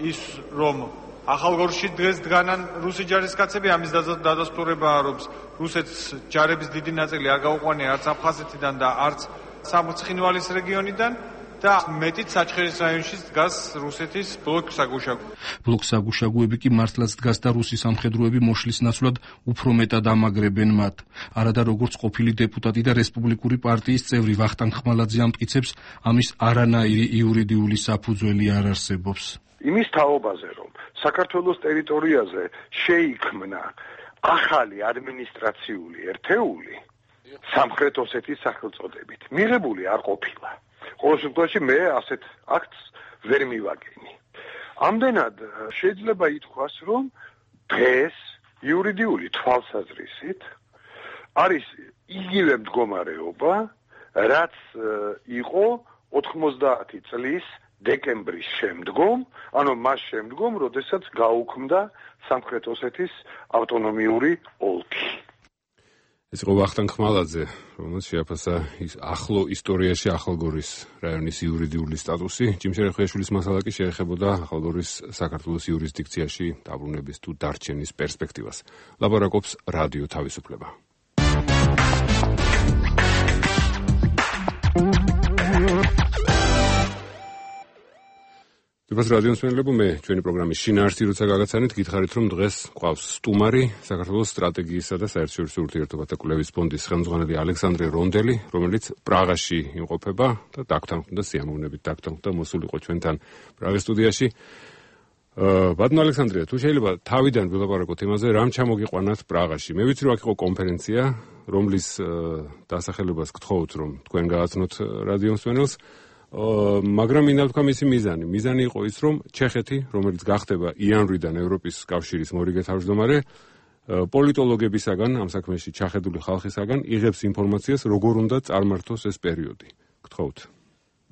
ის, რომ ახალგორში დღეს დგანან რუსი ჯარისკაცები, ამის დადასტურებაა, რომ რუსეთს ჯარების დიდი ნაწილი არ გაუყვანია არც აფხაზეთიდან და არც სამცხინვალის რეგიონიდან და მეტიც საჩხერის რაიონში დგას რუსეთის ბლოკ-საგუშაგო. ბლოკ-საგუშაგოები კი მართლაც დგას და რუსი სამხედროები მოშლის ნაცვლად უფრო მეტად ამაგრებენ მათ. არადა როგორც ყოფილი დეპუტატი და რესპუბლიკური პარტიის წევრი ვახტანგ ხმალაძე ამტკიცებს, ამის არანაირი იურიდიული საფუძველი არ არსებობს. იმის თაობაზე, რომ საქართველოს ტერიტორიაზე შეიქმნა ახალი ადმინისტრაციული ერთეული სამხრეთ ოსეთის სახელწოდებით მიღებული არ ყოფილა. ყოველ შემთხვევაში მე ასეთ აქტს ვერ მივაგენი. ამდენად შეიძლება ითქვას, რომ დღეს იურიდიული თვალსაზრისით არის იგივე მდგომარეობა, რაც იყო 90 წლის დეკემბრის შემდგომ, ანუ მას შემდგომ, როდესაც გაუქმდა სამხრეთ ოსეთის ავტონომიური ოლქი. ეს იყო ვახტანგ ხმალაძე, რომელიც შეაფასა ახლო ისტორიაში ახალგორის რაიონის იურიდიული სტატუსი. ჯიმშერე ხვიაშვილის მასალა კი შეეხებოდა ახალგორის საქართველოს იურისდიქციაში დაბრუნების თუ დარჩენის პერსპექტივას. ლაპარაკობს რადიო თავისუფლება. დაბას რადიოს მენელებო, მე ჩვენი პროგრამის შინაარსი როცა გაგაცანით, გითხარით რომ დღეს ყავს სტუმარი, საქართველოს სტრატეგიისა და საერთაშორისო ურთიერთობათა კვლევის ფონდის ხელმძღვანელი ალექსანდრე რონდელი, რომელიც პრაღაში იმყოფება და დაგთანხმდა სიამოვნებით დაგთანხმდა მოსულიყო ჩვენთან პრაღის სტუდიაში. ბატონო ალექსანდრე, თუ შეიძლება თავიდან ვილაპარაკოთ იმაზე, რამ ჩამოგიყვანათ პრაღაში. მე ვიცი რომ აქ იყო კონფერენცია, რომლის დასახელებას გთხოვთ რომ თქვენ გააცნოთ რადიოს მენელს. მაგრამ მინდა ვთქვა მისი მიზანი. მიზანი იყო ის, რომ ჩეხეთი, რომელიც გახდება იანვრიდან ევროპის კავშირის მორიგე თავმჯდომარე, პოლიტოლოგებისაგან, ამ საქმეში ჩახედული ხალხისაგან იღებს ინფორმაციას, როგორ უნდა წარმართოს ეს პერიოდი. გთხოვთ.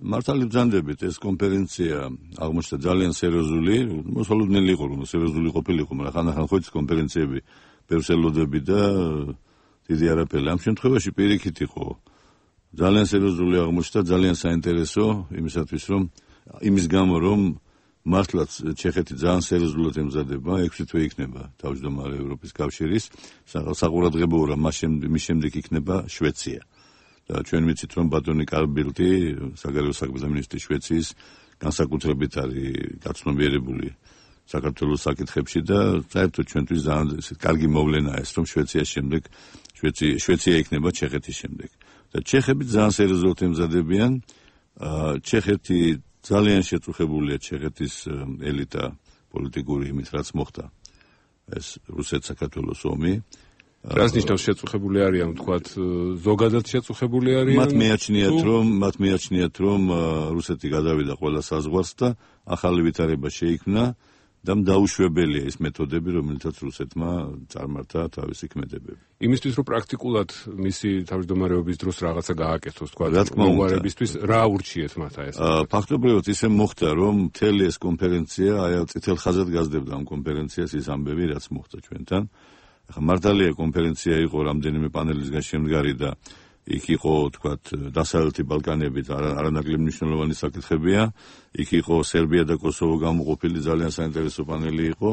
მართალი ბრძანდებით, ეს კონფერენცია აღმოჩნდა ძალიან სერიოზული, მოსალოდნელი იყო, რომ სერიოზული ყოფილიყო, მაგრამ ხანდახან ხო ის კონფერენციები ბევრს ელოდები და დიდი არაფერი. ამ შემთხვევაში პირიქით იყო ძალიან სერიოზული აღმოჩნდა, ძალიან საინტერესო იმისათვის, რომ იმის გამო, რომ მართლაც ჩეხეთი ძალიან სერიოზულად ემზადება, 6 თვე იქნება თავმჯდომარე ევროპის კავშირის, საყურადღებოა რომ მის შემდეგ იქნება შვეცია. და ჩვენ ვიცით, რომ ბატონი კარბილტი, საგარეო საქმეთა მინისტრი შვეციის, განსაკუთრებით არის გაცნობიერებული საქართველოს საკითხებში და საერთოდ ჩვენთვის ძალიან კარგი მოვლენაა ეს, რომ შვეციის შემდეგ შვეცია იქნება ჩეხეთის შემდეგ. და ჩეხები ძალიან სერიოზულად ემზადებიან. ჩეხეთი ძალიან შეწუხებულია ჩეხეთის ელიტა პოლიტიკური იმით, რაც მოხდა ეს რუსეთ-საქართველოს ომი. რას ნიშნავს შეწუხებული არიან, ვთქვათ, ზოგადად შეწუხებული არიან? მათ მეაჩნიათ, რომ რუსეთი გადავიდა ყველა საზღვარს და ახალი ვითარება შეიქმნა და დაუშვებელია ეს მეთოდები, რომელთაც რუსეთმა წარმართა თავისი ქმედებები. იმისთვის, რომ პრაქტიკულად მისი თავმჯდომარეობის დროს რაღაცა გააკეთოს, ვთქვათ, მოგვარებისთვის, რა ურჩიეთ მათ ეს? ფაქტობრივად ისე მოხდა, რომ მთელი ეს კონფერენცია, აი წითელ ხაზად გაზრდებდა ამ კონფერენციას ის ამბები, რაც მოხდა ჩვენთან. ახლა მართალია კონფერენცია იყო რამდენიმე პანელისგან შემდგარი და იქ იყო, თქვათ, დასავლეთი ბალკანები და არანაკლებ მნიშვნელოვანი საკითხებია. იქ იყო სერბია და კოსოვო გამოყოფილი ძალიან საინტერესო პანელი იყო.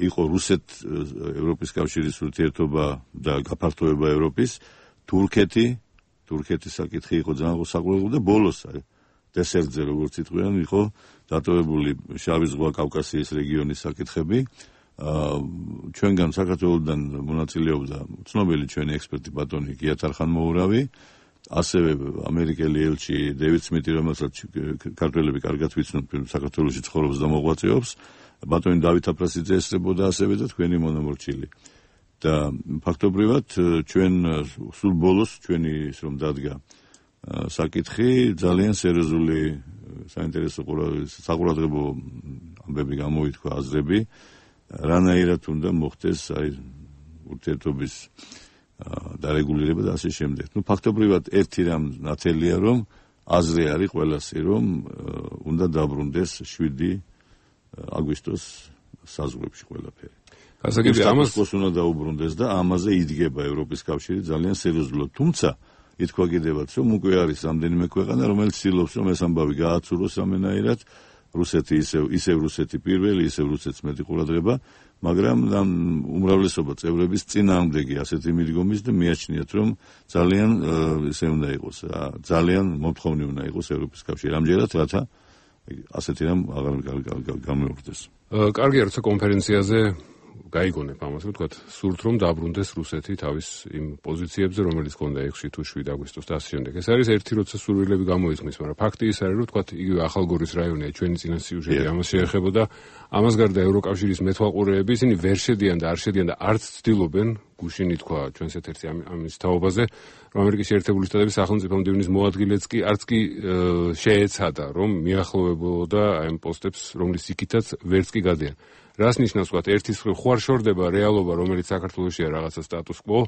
იყო რუსეთ-ევროპის კავშირის ურთიერთობა და გაფართოება ევროპის, თურქეთის საკითხი იყო ძალიან საყურებლო და ბოლოს დესერტზე, როგორც იტყვიან, იყო დატოვებული შავი ზღვა, კავკასიის რეგიონის საკითხები. ჩვენგან საქართველოსდან მონაწილეობდა ცნობილი ჩვენი ექსპერტი ბატონი გიათარხან-მოურავი, ასევე ამერიკელი ელჩი დევიდ სმიტი, რომელსაც ქართველები კარგად ვიცნობთ, საქართველოში ცხოვრობს და მოღვაწეობს, ბატონი დავით აფრასიძე ესწრებოდა ასევე და თქვენი მონამორჩილი. და ფაქტობრივად ჩვენ სულ ბოლოს ჩვენი ის რომ დადგა საკითხი ძალიან სერიოზული საინტერესო საყურადღებო ამბები გამოითქვა, აზრები რანაირად უნდა მოხდეს აი ურთიერთობის დარეგულირება და ასე შემდეგ. ფაქტობრივად ერთი რამ ნათელია, რომ აზრი არის ყველასი, რომ უნდა დაბრუნდეს 7 აგვისტოს საზღვრებში ყველაფერი. გასაგებია ამას უნდა დაუბრუნდეს და ამაზე იდგება ევროპის კავშირი ძალიან სერიოზულად. თუმცა ითქვა კიდევაც, რომ უკვე არის რამდენიმე ქვეყანა, რომელიც ცდილობს, რომ ეს ამბავი გააცუროს ამენაირად რუსეთი ისევ რუსეთი პირველი, ისევ რუსეთს მეტი ყურადღება, მაგრამ უმრავლესობა წევრების წინააღმდეგი ასეთი მიდგომის და მიაჩნიათ, რომ ძალიან ისე უნდა იყოს, ძალიან მომთხოვნი უნდა იყოს ევროპის კავშირი. ამჯერად რათა ასეთი რამ აღარ გამეორდეს. კარგია, როცა კონფერენციაზე გაიგონებ ამას, ვთქვათ, სურთ რომ დაბრუნდეს რუსეთი თავის იმ პოზიციებზე, რომელიც ჰქონდა 6 თუ 7 აგვისტოს და ასე შემდეგ. ეს არის ერთი, როცა სურვილები გამოისმის, მაგრამ ფაქტი ის არის, რომ ვთქვათ, იგივე ახალგორის რაიონია, ჩვენი წინა სიუჟეტი ამას შეეხებოდა. ამას გარდა ევროკავშირის მეთვალყურეები ისინი ვერ შედიან და არ შედიან და არც ცდილობენ, გუშინი თქვა ჩვენს ეთერში ამის თაობაზე, რომ ამერიკის შეერთებული შტატების სახელმწიფო მდივნის მოადგილეც კი არც კი შეეცადა, რომ მიახლოვებოდა ამ პოსტებს, რომლის იქითაც ვერც კი გადიან. რას ნიშნავს ვთქვათ, ერთის მხრივ ხوار შორდება რეალობა, რომელიც საქართველოშია რაღაცა სტატუს კვო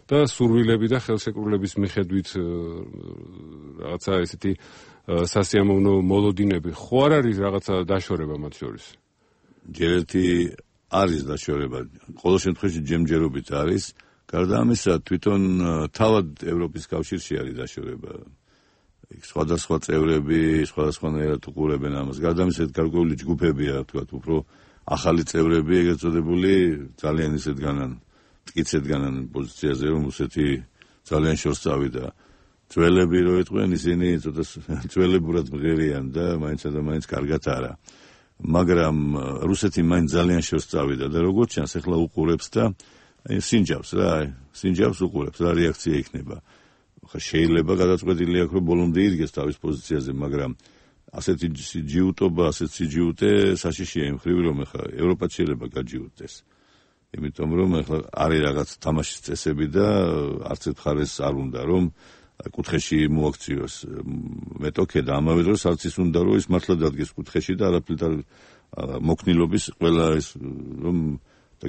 და სურვილები და ხელშეკრულების მიხედვით რაღაცა ესეთი სასიამოვნო მოლოდინები. ხوار არის რაღაცა დაშორება მათ შორის? ჯერ ერთი არის დაშორება, ყოველ შემთხვევაში ჯემჯერობით არის. გარდა ამისა, თვითონ თავად ევროპის კავშირში არის დაშორება. სხვადასხვა წევრები სხვადასხვანაირად უყურებენ ამას. გარდა ამისა, გარკვეული ჯგუფებია, ვთქვათ, უფრო ახალი წევრები, ეგრეთ წოდებული, ძალიან ისეთგანან, მტკიცეთგანან პოზიციაზე, რომ რუსეთი ძალიან შორს წავიდა. ძველები რო ეტყვიან, ისინი ცოტა ძველებურად მღერიან და მაინცსა და მაინც კარგად არა. მაგრამ რუსეთი მაინც ძალიან შორს წავიდა და როგორც ჩანს, ახლა უყურებს და სინჯავს რა, სინჯავს უყურებს, რა რეაქცია იქნება. ხა შეიძლება გადაწყვეტილი აქვს, რომ ბოლომდე იდგეს თავის პოზიციაზე, მაგრამ ასეთი ჯიუტობა, ასეთი სიჯიუტე საშიშია იმ ხრივ, რომ ახლა ევროპაც შეიძლება გაჯიუტდეს. იმიტომ რომ ახლა არის რაღაც თამაშის წესები და არც ერთ მხარეს არ უნდა რომ კუთხეში მოაქციოს მეტოქე და ამავე დროს არც ის უნდა რომ ის მართლა დადგეს კუთხეში და არაფრით მოქნილობის ყველა ის რომ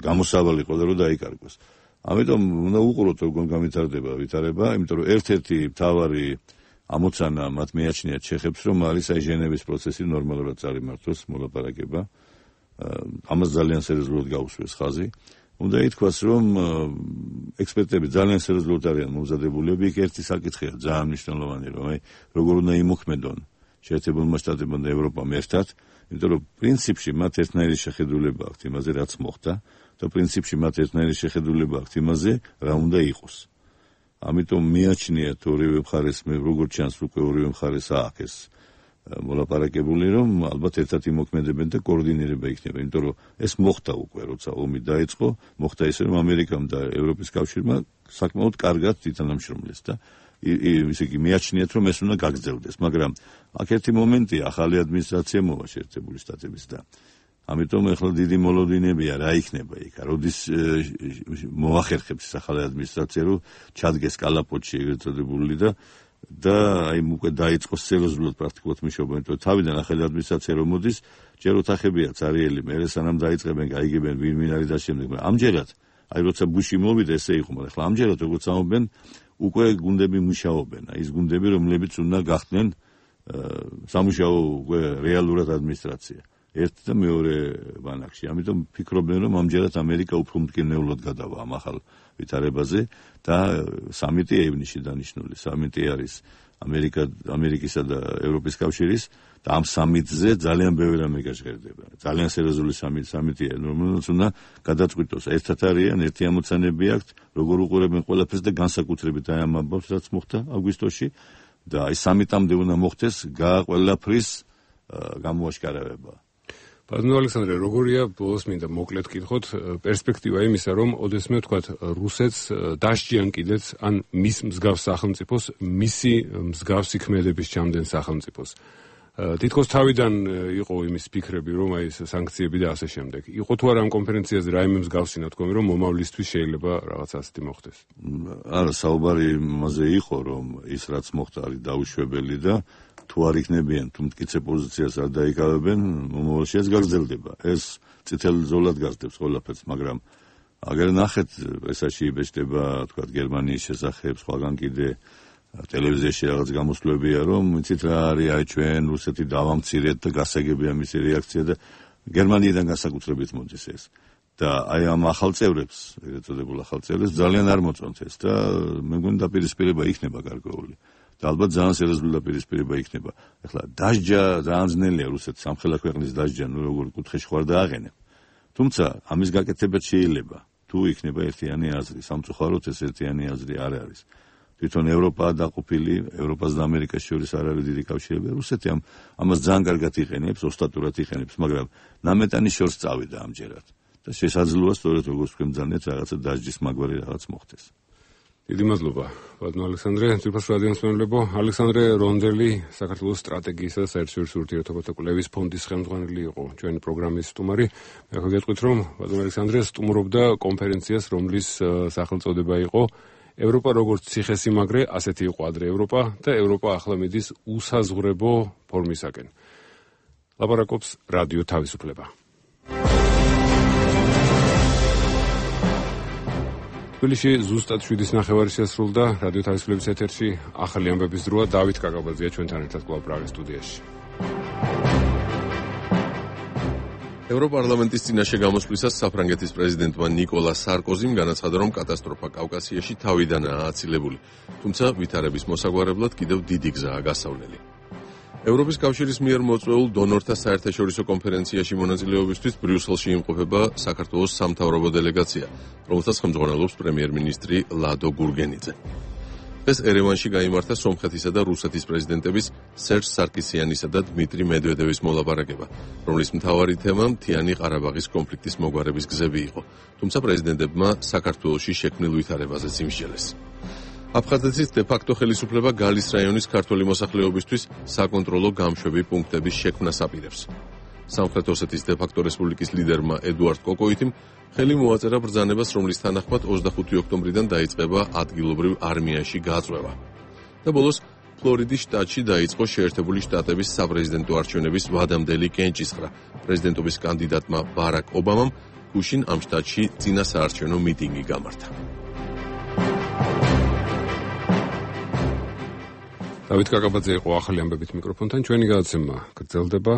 გამოსავალი ყო და რომ დაიკარგოს. ამიტომ უნდა უყუროთ როგორ გამვითარდება ვითარება, იმიტომ რომ ერთ-ერთი მთავარი ამოცანა მათ მეაჩნიათ ჩეხებს, რომ არის აი ჟენევის პროცესი ნორმალურად წარიმართოს მოლაპარაკება. ამას ძალიან სერიოზულად გაუსვეს ხაზი. უნდა ითქვას, რომ ექსპერტები ძალიან სერიოზულად არიან მომზადებულები. იქ ერთი საკითხია ძალიან მნიშვნელოვანი, რომ აი როგორ უნდა იმოქმედონ შეერთებულმა შტატებმა და ევროპამ ერთად, იმიტომ რომ პრინციპში მათ ერთნაირი შეხედულება აქვთ იმაზე, რაც მოხდა და პრინციპში მათ ერთნაირი შეხედულება აქვთ იმაზე, რა უნდა იყოს. ამიტომ მიაჩნიათ ორივე მხარეს, როგორც ჩანს, უკვე ორივე მხარეს ააქეს მოლაპარაკებული, რომ ალბათ ერთად იმოქმედებენ და კოორდინირება იქნება, იმიტომ რომ ეს მოხდა უკვე, როცა ომი დაიწყო, მოხდა ისე, რომ ამერიკამ და ევროპის კავშირმა საკმაოდ კარგად ითანამშრომლეს და ისე იგი მიაჩნიათ, რომ ეს უნდა გაგრძელდეს, მაგრამ აქ ერთი მომენტია, ახალი ადმინისტრაცია მოვა შეერთებული შტატების და ამიტომ ახლა დიდი მოლოდინებია რა იქნება იქ. როდის მოახერხებს ახალი ადმინისტრაცია, რომ ჩადგეს კალაპოტში ეგრეთ წოდებული და აი უკვე დაიწყოს სერიოზულად პრაქტიკულად მუშაობა, იმიტომ რომ თავიდან ახალი ადმინისტრაცია რომ მოდის, ჯერ ოთახებია цаრიელი, მერე სანამ დაიწყებენ, გაიგებენ ვინ არის და შემდეგ. ამჯერად, აი როცა ბუში მოვიდა, ესე იყო, მაგრამ ახლა ამჯერად როგორც ამობენ, უკვე გუნდები მუშაობენ. აი ის გუნდები, რომლებიც უნდა გახდნენ სამუშაო უკვე რეალურად ადმინისტრაცია. ერთ და მეორე ბანაკში. ამიტომ ფიქრობენ, რომ ამჯერად ამერიკა უფრო მტკივნეულად გადავა ამ ახალ ვითარებაზე და სამიტი ევნისში დანიშნული. სამიტი არის ამერიკისა და ევროპის კავშირის და ამ სამიტზე ძალიან ბევრი რამე გაჟღერდება. ძალიან სერიოზული სამიტია, რომელსაც უნდა გადაწყვიტოს. ერთად არიან, ერთი ამოცანები აქვთ, როგორ უყურებენ ყველაფერს და განსაკუთრებით აი ამ ამბავს, რაც მოხდა აგვისტოში და აი სამიტამდე უნდა მოხდეს ყველაფრის გამოაშკარავება. ბატონო ალექსანდრე, როგორია ბოლოს მინდა მოკლედ კითხოთ პერსპექტივა იმისა, რომ ოდესმე ვთქვათ რუსეთს დასჯიან კიდეც ან მის მსგავს სახელმწიფოს, მისი მსგავსი ქმედების ჩამდენ სახელმწიფოს. თითქოს თავიდან იყო იმის ფიქრები, რომ აი ეს სანქციები და ასე შემდეგ. იყო თუ არა ამ კონფერენციაზე რაიმე მსგავსი ნათქვამი, რომ მომავლისთვის შეიძლება რაღაც ასეთი მოხდეს? არა, საუბარი იმაზე იყო, რომ ის რაც მოხდა არის დაუშვებელი და თუ არ იქნებიან, თუ მტკიცე პოზიციას არ დაიკავებენ, მომავალში ეს გაგრძელდება. ეს წითელ ზოლად გასდევს ყველაფერს, მაგრამ აგერ ნახეთ, პრესაში იბეჭდება, თქვათ, გერმანიის შესახებ, სხვაგან კიდე ტელევიზიაში რაღაც გამოსვლებია, რომ იცით რა არის, აი ჩვენ რუსეთი დავამცირეთ და გასაგებია მისი რეაქცია და გერმანიიდან განსაკუთრებით მოდის ეს. და აი ამ ახალ წევრებს, ეგრეთ წოდებულ ახალ წევრებს ძალიან არ მოწონთ ეს და მე მგონი დაპირისპირება იქნება გარკვეული. და ალბათ ძალიან სერიოზული დაპირისპირება იქნება. ეხლა დასჯა ძალიან ძნელია რუსეთს სამხელა ქვეყნის დასჯა, როგორ კუთხეში ხარ დააღენებ. თუმცა ამის გაკეთებაც შეიძლება, თუ იქნება ერთიანი აზრი, სამწუხაროდ ეს ერთიანი აზრი არ არის. თვითონ ევროპაა დაყოფილი, ევროპას და ამერიკას შორის არ არის დიდი კავშირები. რუსეთი ამას ძალიან კარგად იყენებს, ოსტატურად იყენებს, მაგრამ ნამეტანი შორს წავიდა ამჯერად. და შესაძლოა სწორედ როგორც თქვენ ძალიან რაღაცა დასჯის მაგვარი რაღაც მოხდეს. დიდი მადლობა, ბატონო ალექსანდრე. ძვირფას რადიოს მსმენელებო, ალექსანდრე რონდელი, საქართველოს სტრატეგიისა და საერთაშორისო ურთიერთობათა კვლევის ფონდის ხელმძღვანელი იყო ჩვენი პროგრამის სტუმარი. მე გეტყვით, რომ ბატონო ალექსანდრე სტუმრობდა კონფერენციას, რომლის სახელწოდება იყო ევროპა როგორც ციხესიმაგრე, ასეთი იყო ადრე ევროპა და ევროპა ახლა მიდის უსაზღვრებო ფორმისაკენ. ლაპარაკობს რადიო თავისუფლება. თბილისში ზუსტად 7:09 შეასრულდა რადიო თავისუფლების ეთერში ახალი ამბების დროა. დავით კაკაბაძეა ჩვენთან ერთად კვლავ პრაღის სტუდიაში. ევროპარლამენტის წინაშე გამოსვლისას საფრანგეთის პრეზიდენტმა ნიკოლა სარკოზიმ განაცხადა, რომ კატასტროფა კავკასიაში თავიდანაა აცილებული, თუმცა ვითარების მოსაგვარებლად კიდევ დიდი გზაა გასავლელი. ევროპის კავშირის მიერ მოწვეულ დონორთა საერთაშორისო კონფერენციაში მონაწილეობისთვის ბრიუსელში იმყოფება საქართველოს სამთავრობო დელეგაცია, რომელსაც ხელმძღვანელობს პრემიერ-მინისტრი ლადო გურგენიძე. დღეს ერევანში გაიმართა სომხეთისა და რუსეთის პრეზიდენტების სერჟ სარკისიანისა და დმიტრი მედვედევის მოლაპარაკება, რომლის მთავარი თემა მთიანი ყარაბაღის კონფლიქტის მოგვარების გზები იყო, თუმცა პრეზიდენტებმა საქართველოში შექმნილ ვითარებაზეც იმსჯელეს. აფხაზეთის დე-ფაქტო ხელისუფლება გალის რაიონის ქართველი მოსახლეობისთვის საკონტროლო გამშვები პუნქტების შექმნას აპირებს. სამხრეთ ოსეთის დე-ფაქტო რესპუბლიკის ლიდერმა ედუარდ კოკოიტიმ ხელი მოაწერა ბრძანებას, რომლის თანახმად 25 ოქტომბრიდან დაიწყება ადგილობრივ არმიაში გაწვევა. და ბოლოს ფლორიდის შტატში დაიწყო შეერთებული შტატების საპრეზიდენტო არჩევნების ვადამდელი კენჭისყრა. პრეზიდენტობის კანდიდატმა ბარაკ ობამამ გუშინ ამ შტატში წინა საარჩევნო მიტინგი გამართა. დავით კაკაბაძე იყო ახალი ამბებით მიკროფონთან. ჩვენი გადაცემა გრძელდება.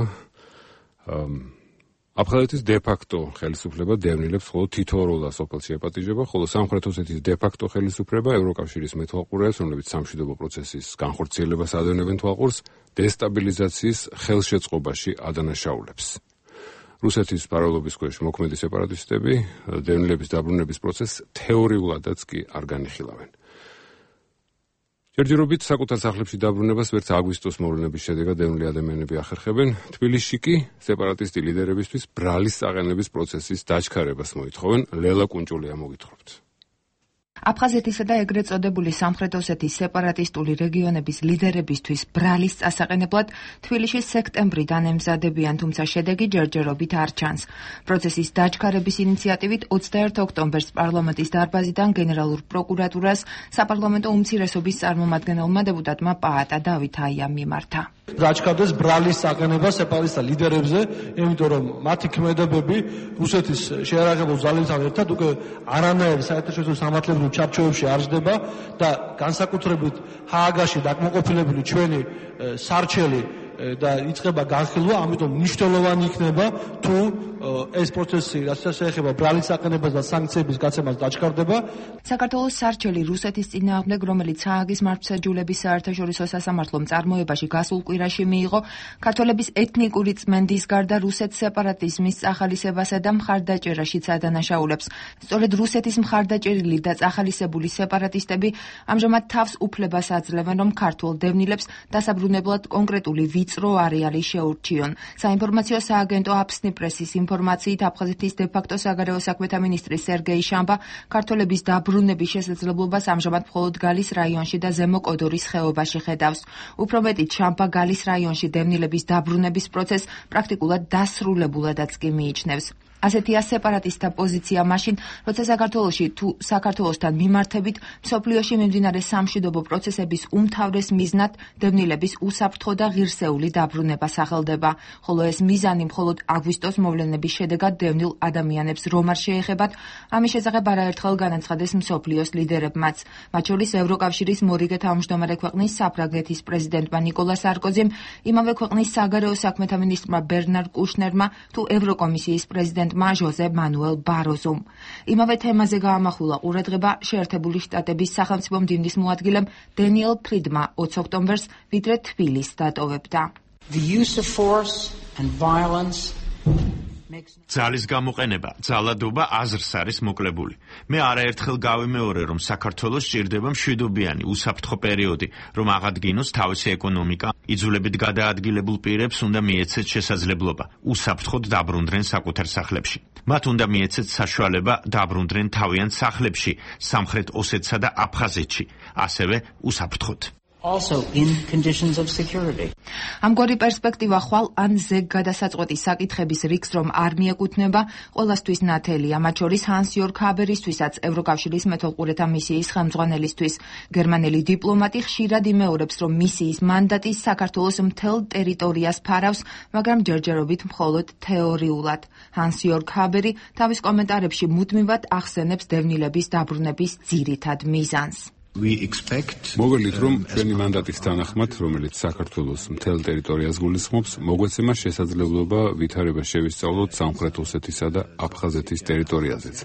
აფხაზეთის დე-ფაქტო ხელისუფლება დევნილებს მხოლოდ თითოეულ სოფელში ეპატიჟება, ხოლო სამხრეთ ოსეთის დე-ფაქტო ხელისუფლება ევროკავშირის მეთვალყურეებს, რომლებიც სამშვიდობო პროცესის განხორციელებას ადევნებენ თვალყურს, დესტაბილიზაციის ხელშეწყობაში ადანაშაულებს. რუსეთის პარალელობის ქვეშ მოქმედი სეპარატისტები დევნილების დაბრუნების პროცესს თეორიულადაც კი არ განიხილავენ. ჯერჯერობით საკუთარ სახლებში დაბრუნებას ვერც აგვისტოს მოვლენების შედეგად დევნილი ადამიანები ახერხებენ. თბილისში კი სეპარატისტი ლიდერებისთვის ბრალის საყენების პროცესის დაჩქარებას მოითხოვენ. ლელა კუნჭულია მოგითხრობთ. აფხაზეთისა და ეგრეთ წოდებული სამხრეთ ოსეთის სეპარატისტული რეგიონების ლიდერებისთვის ბრალის წასაყენებლად თბილისში სექტემბრიდან ემზადებიან, თუმცა შედეგი ჯერჯერობით არ ჩანს. პროცესის დაჩქარების ინიციატივით 21 ოქტომბერს პარლამენტის დარბაზიდან გენერალურ პროკურატურას საპარლამენტო უმცირესობის წარმომადგენელმა დეპუტატმა პაატა დავით აიამ მიმართა. დაჩქარდეს ბრალის საყენება სეპარატისტთა ლიდერებზე, იმიტომ რომ მათი ქმედებები რუსეთის შეიარაღებულ ძალებთან ერთად უკვე არანაირი საერთაშორისო სამართლებრივ ჩარჩოებში არ ჯდება და განსაკუთრებით ჰააგაში დაკმაყოფილებული ჩვენი სარჩელი და იწყება განხილვა, ამიტომ მნიშვნელოვანი იქნება თუ ეს პროცესი, რასაც შეეხება ბრალის საყენებას და სანქციების გაცემას დაჩქარდება. საქართველოს სარჩელი რუსეთის წინააღმდეგ, რომელიც ჰააგის მართლმსაჯულების საერთაშორისო სასამართლომ წარმოებაში გასულ კვირაში მიიღო, ქართველების ეთნიკური წმენდის გარდა რუსეთს სეპარატიზმის წახალისებასა და მხარდაჭერაშიც ადანაშაულებს. სწორედ რუსეთის მხარდაჭერილი და წახალისებული სეპარატისტები ამჟამად თავს უფლებას აძლევენ, რომ ქართველ დევნილებს დასაბრუნებლად კონკრეტული ვიწრო არეალი შეურჩიონ. საინფორმაციო სააგენტო აფსნი პრესის ინფორმაციით აფხაზეთის დე-ფაქტო საგარეო საქმეთა მინისტრი სერგეი შამბა ქართველების დაბრუნების შესაძლებლობას ამჟამად მხოლოდ გალის რაიონში და ზემო კოდორის ხეობაში ხედავს. უფრო მეტიც, შამბა გალის რაიონში დევნილების დაბრუნების პროცესს პრაქტიკულად დასრულებულადაც კი მიიჩნევს. ასეთია სეპარატისტთა პოზიცია მაშინ, როცა საქართველოში თუ საქართველოსთან მიმართებით მსოფლიოში მიმდინარე სამშვიდობო პროცესების უმთავრეს მიზნად დევნილების უსაფრთხო და ღირსეული დაბრუნება სახელდება, ხოლო ეს მიზანი მხოლოდ აგვისტოს მოვლენების შედეგად დევნილ ადამიანებს რომ არ შეეხებათ, ამის შესახებ არაერთხელ განაცხადეს მსოფლიოს ლიდერებმაც, მათ შორის ევროკავშირის მორიგე თავმჯდომარე ქვეყნის საფრანგეთის პრეზიდენტმა ნიკოლა სარკოზიმ, იმავე ქვეყნის საგარეო საქმეთა მინისტრმა ბერნარ კუშნერმა თუ ევროკომისიის პრეზიდენტ პრეზიდენტმა ჟოზე მანუელ ბაროზომ. იმავე თემაზე გაამახვილა ყურადღება შეერთებული შტატების სახელმწიფო მდივნის მოადგილემ დენიელ ფრიდმა 20 ოქტომბერს, ვიდრე თბილისს დატოვებდა. The use of force and violence ძალის გამოყენება, ძალადობა აზრს არის მოკლებული. მე არაერთხელ გავიმეორე, რომ საქართველოს სჭირდება მშვიდობიანი, უსაფრთხო პერიოდი, რომ აღადგინოს თავისი ეკონომიკა, იძულებით გადაადგილებულ პირებს უნდა მიეცეთ შესაძლებლობა, უსაფრთხოდ დაბრუნდნენ საკუთარ სახლებში. მათ უნდა მიეცეთ საშუალება დაბრუნდნენ თავიანთ სახლებში, სამხრეთ ოსეთსა და აფხაზეთში, ასევე უსაფრთხოდ. also in conditions of security. ამგვარი პერსპექტივა ხვალ ან ზეგ გადასაწყვეტი საკითხების რიგს რომ არ მიეკუთვნება, ყველასთვის ნათელია, მათ შორის ჰანს იორგ ჰაბერისთვისაც, ევროკავშირის მეთვალყურეთა მისიის ხელმძღვანელისთვის. გერმანელი დიპლომატი ხშირად იმეორებს, რომ მისიის მანდატი საქართველოს მთელ ტერიტორიას ფარავს, მაგრამ ჯერჯერობით მხოლოდ თეორიულად. ჰანს იორგ ჰაბერი თავის კომენტარებში მუდმივად ახსენებს დევნილების დაბრუნების ძირითად მიზანს. მოგევლით, რომ ჩვენი მანდატის თანახმად, რომელიც საქართველოს მთელ ტერიტორიას გულისხმობს, მოგვეცემა შესაძლებლობა ვითარება შევისწავლოთ სამხრეთ ოსეთისა და აფხაზეთის ტერიტორიაზეც,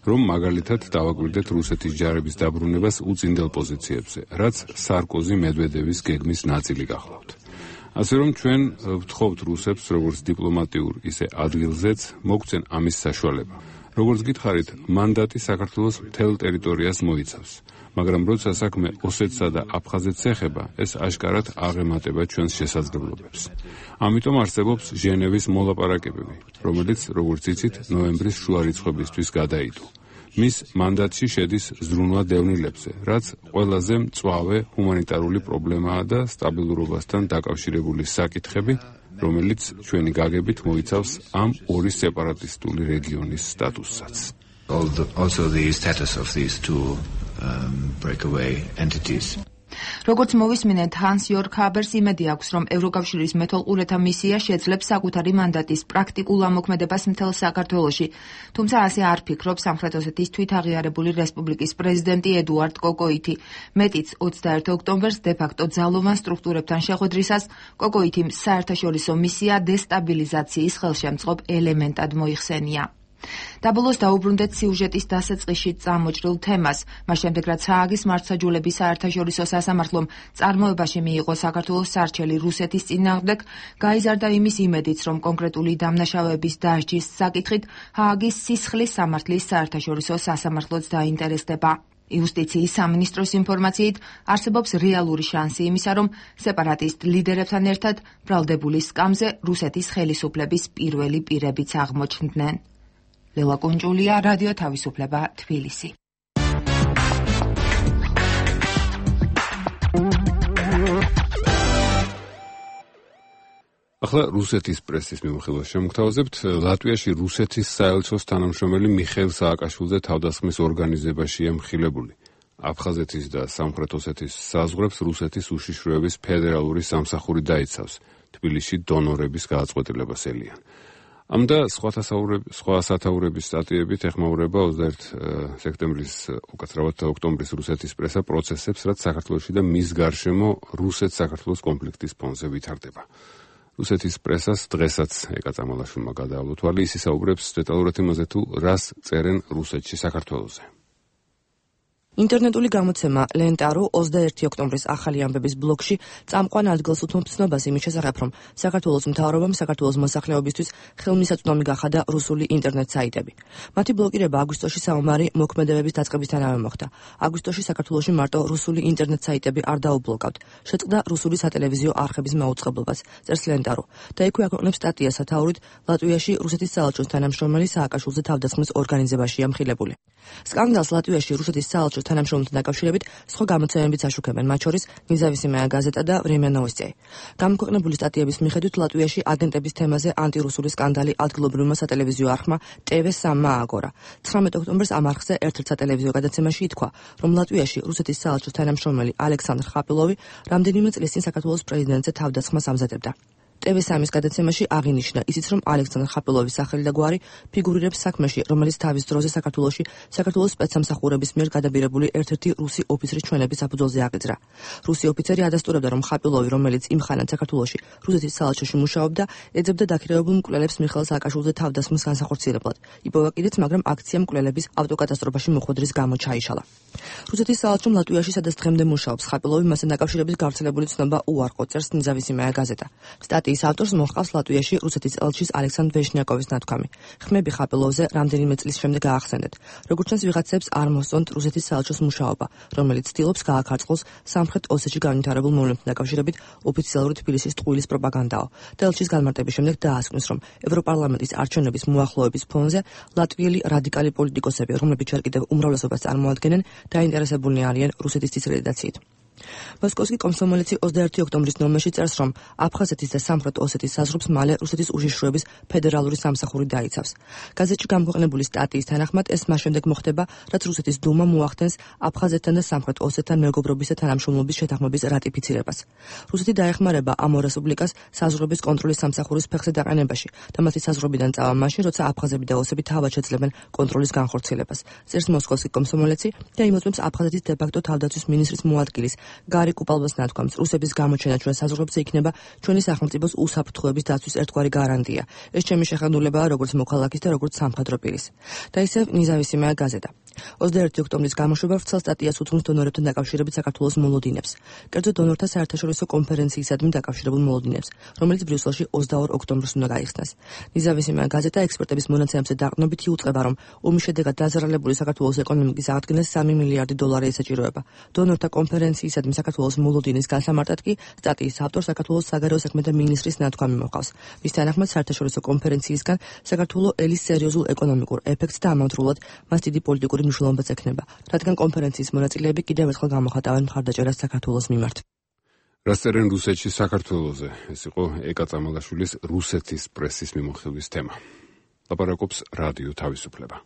რომ მაგალითად დავაკვირდეთ რუსეთის ჯარების დაბრუნებას უწინდელ პოზიციებზე, რაც სარკოზი მედვედევის გეგმის ნაწილი გახლავთ. ასე რომ ჩვენ ვთხოვთ რუსებს, როგორც დიპლომატიურ, ისე ადგილზეც, მოგცენ ამის საშუალება. როგორც გითხარით, მანდატი საქართველოს მთელ ტერიტორიას მოიცავს. მაგრამ როცა საქმე ოსეთსა და აფხაზეთს ეხება, ეს აშკარად აღემატება ჩვენს შესაძლებლობებს. ამიტომ არსებობს ჟენევის მოლაპარაკებები, რომელიც, როგორც იცით, ნოემბრის შუა რიცხვებისთვის გადაიდო. მის მანდატში შედის ზრუნვა დევნილებზე, რაც ყველაზე მწვავე ჰუმანიტარული პრობლემაა და სტაბილურობასთან დაკავშირებული საკითხები, რომელიც ჩვენი გაგებით მოიცავს ამ ორი სეპარატისტული რეგიონის სტატუსსაც. Also the status of these two breakaway entities. როგორც მოვისმინეთ, ჰანს იორგ ჰაბერს იმედი აქვს, რომ ევროკავშირის მეთვალყურეთა მისია შეძლებს საკუთარი მანდატის პრაქტიკულ ამოქმედებას მთელ საქართველოში. თუმცა ასე არ ფიქრობს სამხრეთ ოსეთის თვითაღიარებული რესპუბლიკის პრეზიდენტი ედუარდ კოკოიტი. მეტიც 21 ოქტომბერს დე-ფაქტო ძალოვან სტრუქტურებთან შეხვედრისას კოკოიტიმ საერთაშორისო მისია დესტაბილიზაციის ხელშემწყობ ელემენტად მოიხსენია. დაბოლოს დაუბრუნდეთ სიუჟეტის დასაწყისში წამოჭრილ თემას. მას შემდეგ, რაც ჰააგის მართლმსაჯულების საერთაშორისო სასამართლომ წარმოებაში მიიღო საქართველოს სარჩელი რუსეთის წინააღმდეგ, გაიზარდა იმის იმედიც, რომ კონკრეტული დამნაშავეების დასჯის საკითხით ჰააგის სისხლის სამართლის საერთაშორისო სასამართლოც დაინტერესდება. იუსტიციის სამინისტროს ინფორმაციით არსებობს რეალური შანსი იმისა, რომ სეპარატისტ ლიდერებთან ერთად ბრალდებული სკამზე რუსეთის ხელისუფლების პირველი პირებიც აღმოჩნდნენ. ლელა კუნჯულია, რადიო თავისუფლება, თბილისი. ახლა რუსეთის პრესის მიმოხილვას შემოგთავაზებთ. ლატვიაში რუსეთის საელჩოს თანამშრომელი მიხეილ სააკაშვილზე თავდასხმის ორგანიზებაშია მხილებული. აფხაზეთის და სამხრეთ ოსეთის საზღვრებს რუსეთის უშიშროების ფედერალური სამსახური დაიცავს. თბილისში დონორების გააწყვეტილებას ელიან. ამ და სხვა სათაურების სტატიებით ეხმაურება 21 სექტემბრის, უკაცრავად ოქტომბრის რუსეთის პრესა პროცესებს, რაც საქართველოში და მის გარშემო რუსეთ-საქართველოს კონფლიქტის ფონზე ვითარდება. რუსეთის პრესას დღესაც ეკა წამალაშვილმა გადაავლო თვალი, ის ისაუბრებს დეტალურად იმაზე, თუ რას წერენ რუსეთში საქართველოზე. ინტერნეტული გამოცემა ლენტარო 21 ოქტომბრის ახალი ამბების ბლოგში წამყვან ადგილს უთმობს ცნობას იმის შესახებ, რომ საქართველოს მთავრობამ საქართველოს მოსახლეობისთვის ხელმისაწვდომი გახადა რუსული ინტერნეტ საიტები. მათი ბლოკირება აგვისტოში საომარი მოქმედებების დაწყებისთანავე მოხდა. აგვისტოში საქართველოში მარტო რუსული ინტერნეტ საიტები არ დაუბლოკავთ. შეწყდა რუსული სატელევიზიო არხების მაუწყებლობას, წერს ლენტარო. და იქვე აქვეყნებს სტატია სათაურით ლატვიაში რუსეთის საელჩოს თანამშრომელი სააკაშვილზე თავდასხმის ორგანიზებაშია მხილებული. სკანდალს ლატვიაში რუსეთის საელჩოს თანამშრომელთან დაკავშირებით სხვა გამოცემებიც აშუქებენ, მათ შორის ნიზავისიმაია გაზეტა და ვრემია ნოვოსტია. გამოქვეყნებული სტატიების მიხედვით ლატვიაში აგენტების თემაზე ანტირუსული სკანდალი ადგილობრივმა სატელევიზიო არხმა TV3 ააგორა. 19 ოქტომბერს ამ არხზე ერთ-ერთ სატელევიზიო გადაცემაში ითქვა, რომ ლატვიაში რუსეთის საელჩოს თანამშრომელი ალექსანდრ ხაპილოვი რამდენიმე წლის წინ საქართველოს პრეზიდენტზე თავდასხმას ამზადებდა. TV3-ის გადაცემაში აღინიშნა ისიც, რომ ალექსანდრ ხაპილოვის სახელი და გვარი ფიგურირებს საქმეში, რომელიც თავის დროზე საქართველოს სპეცსამსახურების მიერ გადაბირებული ერთ-ერთი რუსი ოფიცრის ჩვენების საფუძველზე აღიძრა. რუსი ოფიცერი ადასტურებდა, რომ ხაპილოვი, რომელიც იმხანად საქართველოში რუსეთის საელჩოში მუშაობდა, ეძებდა დაქირავებულ მკვლელებს მიხეილ სააკაშვილზე თავდასხმის განსახორციელებლად. იპოვა კიდეც, მაგრამ აქცია მკვლელების ავტოკატასტროფაში მოხვედრის გამო ჩაიშალა. რუსეთის საელჩომ ლატვიაში, სადაც დღემდე მუშაობს ხაპილოვი, მასთან დაკავშირებით გავრცელებული ცნობა უარყო, წერს ნიზავისიმაია გაზეტა. სტატიის ავტორს მოჰყავს ლატვიაში რუსეთის ელჩის ალექსანდრ ვეშნიაკოვის ნათქვამი. ხმები ხაპილოვზე რამდენიმე წლის შემდეგ გაახსენდეთ. როგორც ჩანს, ვიღაცებს არ მოსწონთ რუსეთის საელჩოს მუშაობა, რომელიც ცდილობს გააქარწყლოს სამხრეთ ოსეთში განვითარებულ მოვლენებთან დაკავშირებით ოფიციალური თბილისის ტყუილის პროპაგანდაო. და ელჩის განმარტების შემდეგ დაასკვნის, რომ ევროპარლამენტის არჩევნების მოახლოების ფონზე ლატვიელი რადიკალი პოლიტიკოსები, რომლებიც ჯერ კიდევ უმრავლესობას წარმოადგენენ, დაინტერესებულნი არიან რუსეთის დისკრედიტაციით. მოსკოვსკი კომსომოლეცი 21 ოქტომბრის ნომერში წერს, რომ აფხაზეთის და სამხრეთ ოსეთის საზღვრებს მალე რუსეთის უშიშროების ფედერალური სამსახური დაიცავს. გაზეთში გამოქვეყნებული სტატიის თანახმად ეს მას შემდეგ მოხდება, რაც რუსეთის დუმა მოახდენს აფხაზეთთან და სამხრეთ ოსეთთან მეგობრობის და თანამშრომლობის შეთანხმების რატიფიცირებას. რუსეთი დაეხმარება ამ ორ რესპუბლიკას საზღვრების კონტროლის სამსახურის ფეხზე დაყენებაში და მათი საზღვრებიდან წავა მაშინ, როცა აფხაზები და ოსები თავად შეძლებენ კონტროლის განხორციელებას. წერს მოსკოვსკი კომსომოლეცი და იმოწმებს აფხაზეთის დე-ფაქტო თავდაცვის მინისტრის მოადგილის გარი კუპალბას ნათქვამს, რუსების გამოჩენა ჩვენ საზღვრებზე იქნება ჩვენი სახელმწიფოს უსაფრთხოების დაცვის ერთგვარი გარანტია. ეს ჩემი შეხედულებაა როგორც მოქალაქის და როგორც სამხედრო პირის. და ისევ ნიზავისიმაია გაზეტა. 21 ოქტომბრის გამოშვება ვრცელ სტატიას უთხრობს დონორებთან დაკავშირებით საქართველოს მოლოდინებს. კერძო დონორთა საერთაშორისო კონფერენციისადმი დაკავშირებულ მოლოდინებს, რომელიც ბრიუსელში 22 ოქტომბერს უნდა გაიხსნას. ნიზავისიმაია გაზეტა ექსპერტების მონაცემებზე დაყრდნობით იუწყება, რომ ომის შედეგად დაზარალებული საქართველოს ეკონომიკის აღდგენას 3 მილიარდი დოლარი ესაჭიროება. დონორთა კონფერენციისადმი საქართველოს მოლოდინის განსამარტად კი სტატიის ავტორს საქართველოს საგარეო საქმეთა მინისტრის ნათქვამი მოყავს. მის თანახმად საერთაშორისო კონფერენციისგან საქართველოს ელის სერიოზულ ეკონომიკურ ეფექტს და ამავდროულად მას დიდი პოლიტიკური მნიშვნელობაც ექნება, რადგან კონფერენციის მონაწილეები კიდევ ერთხელ გამოხატავენ მხარდაჭერას საქართველოს მიმართ. რას წერენ რუსეთში საქართველოზე? ეს იყო ეკა წამალაშვილის რუსეთის პრესის მიმოხილვის თემა. ლაპარაკობს რადიო თავისუფლება.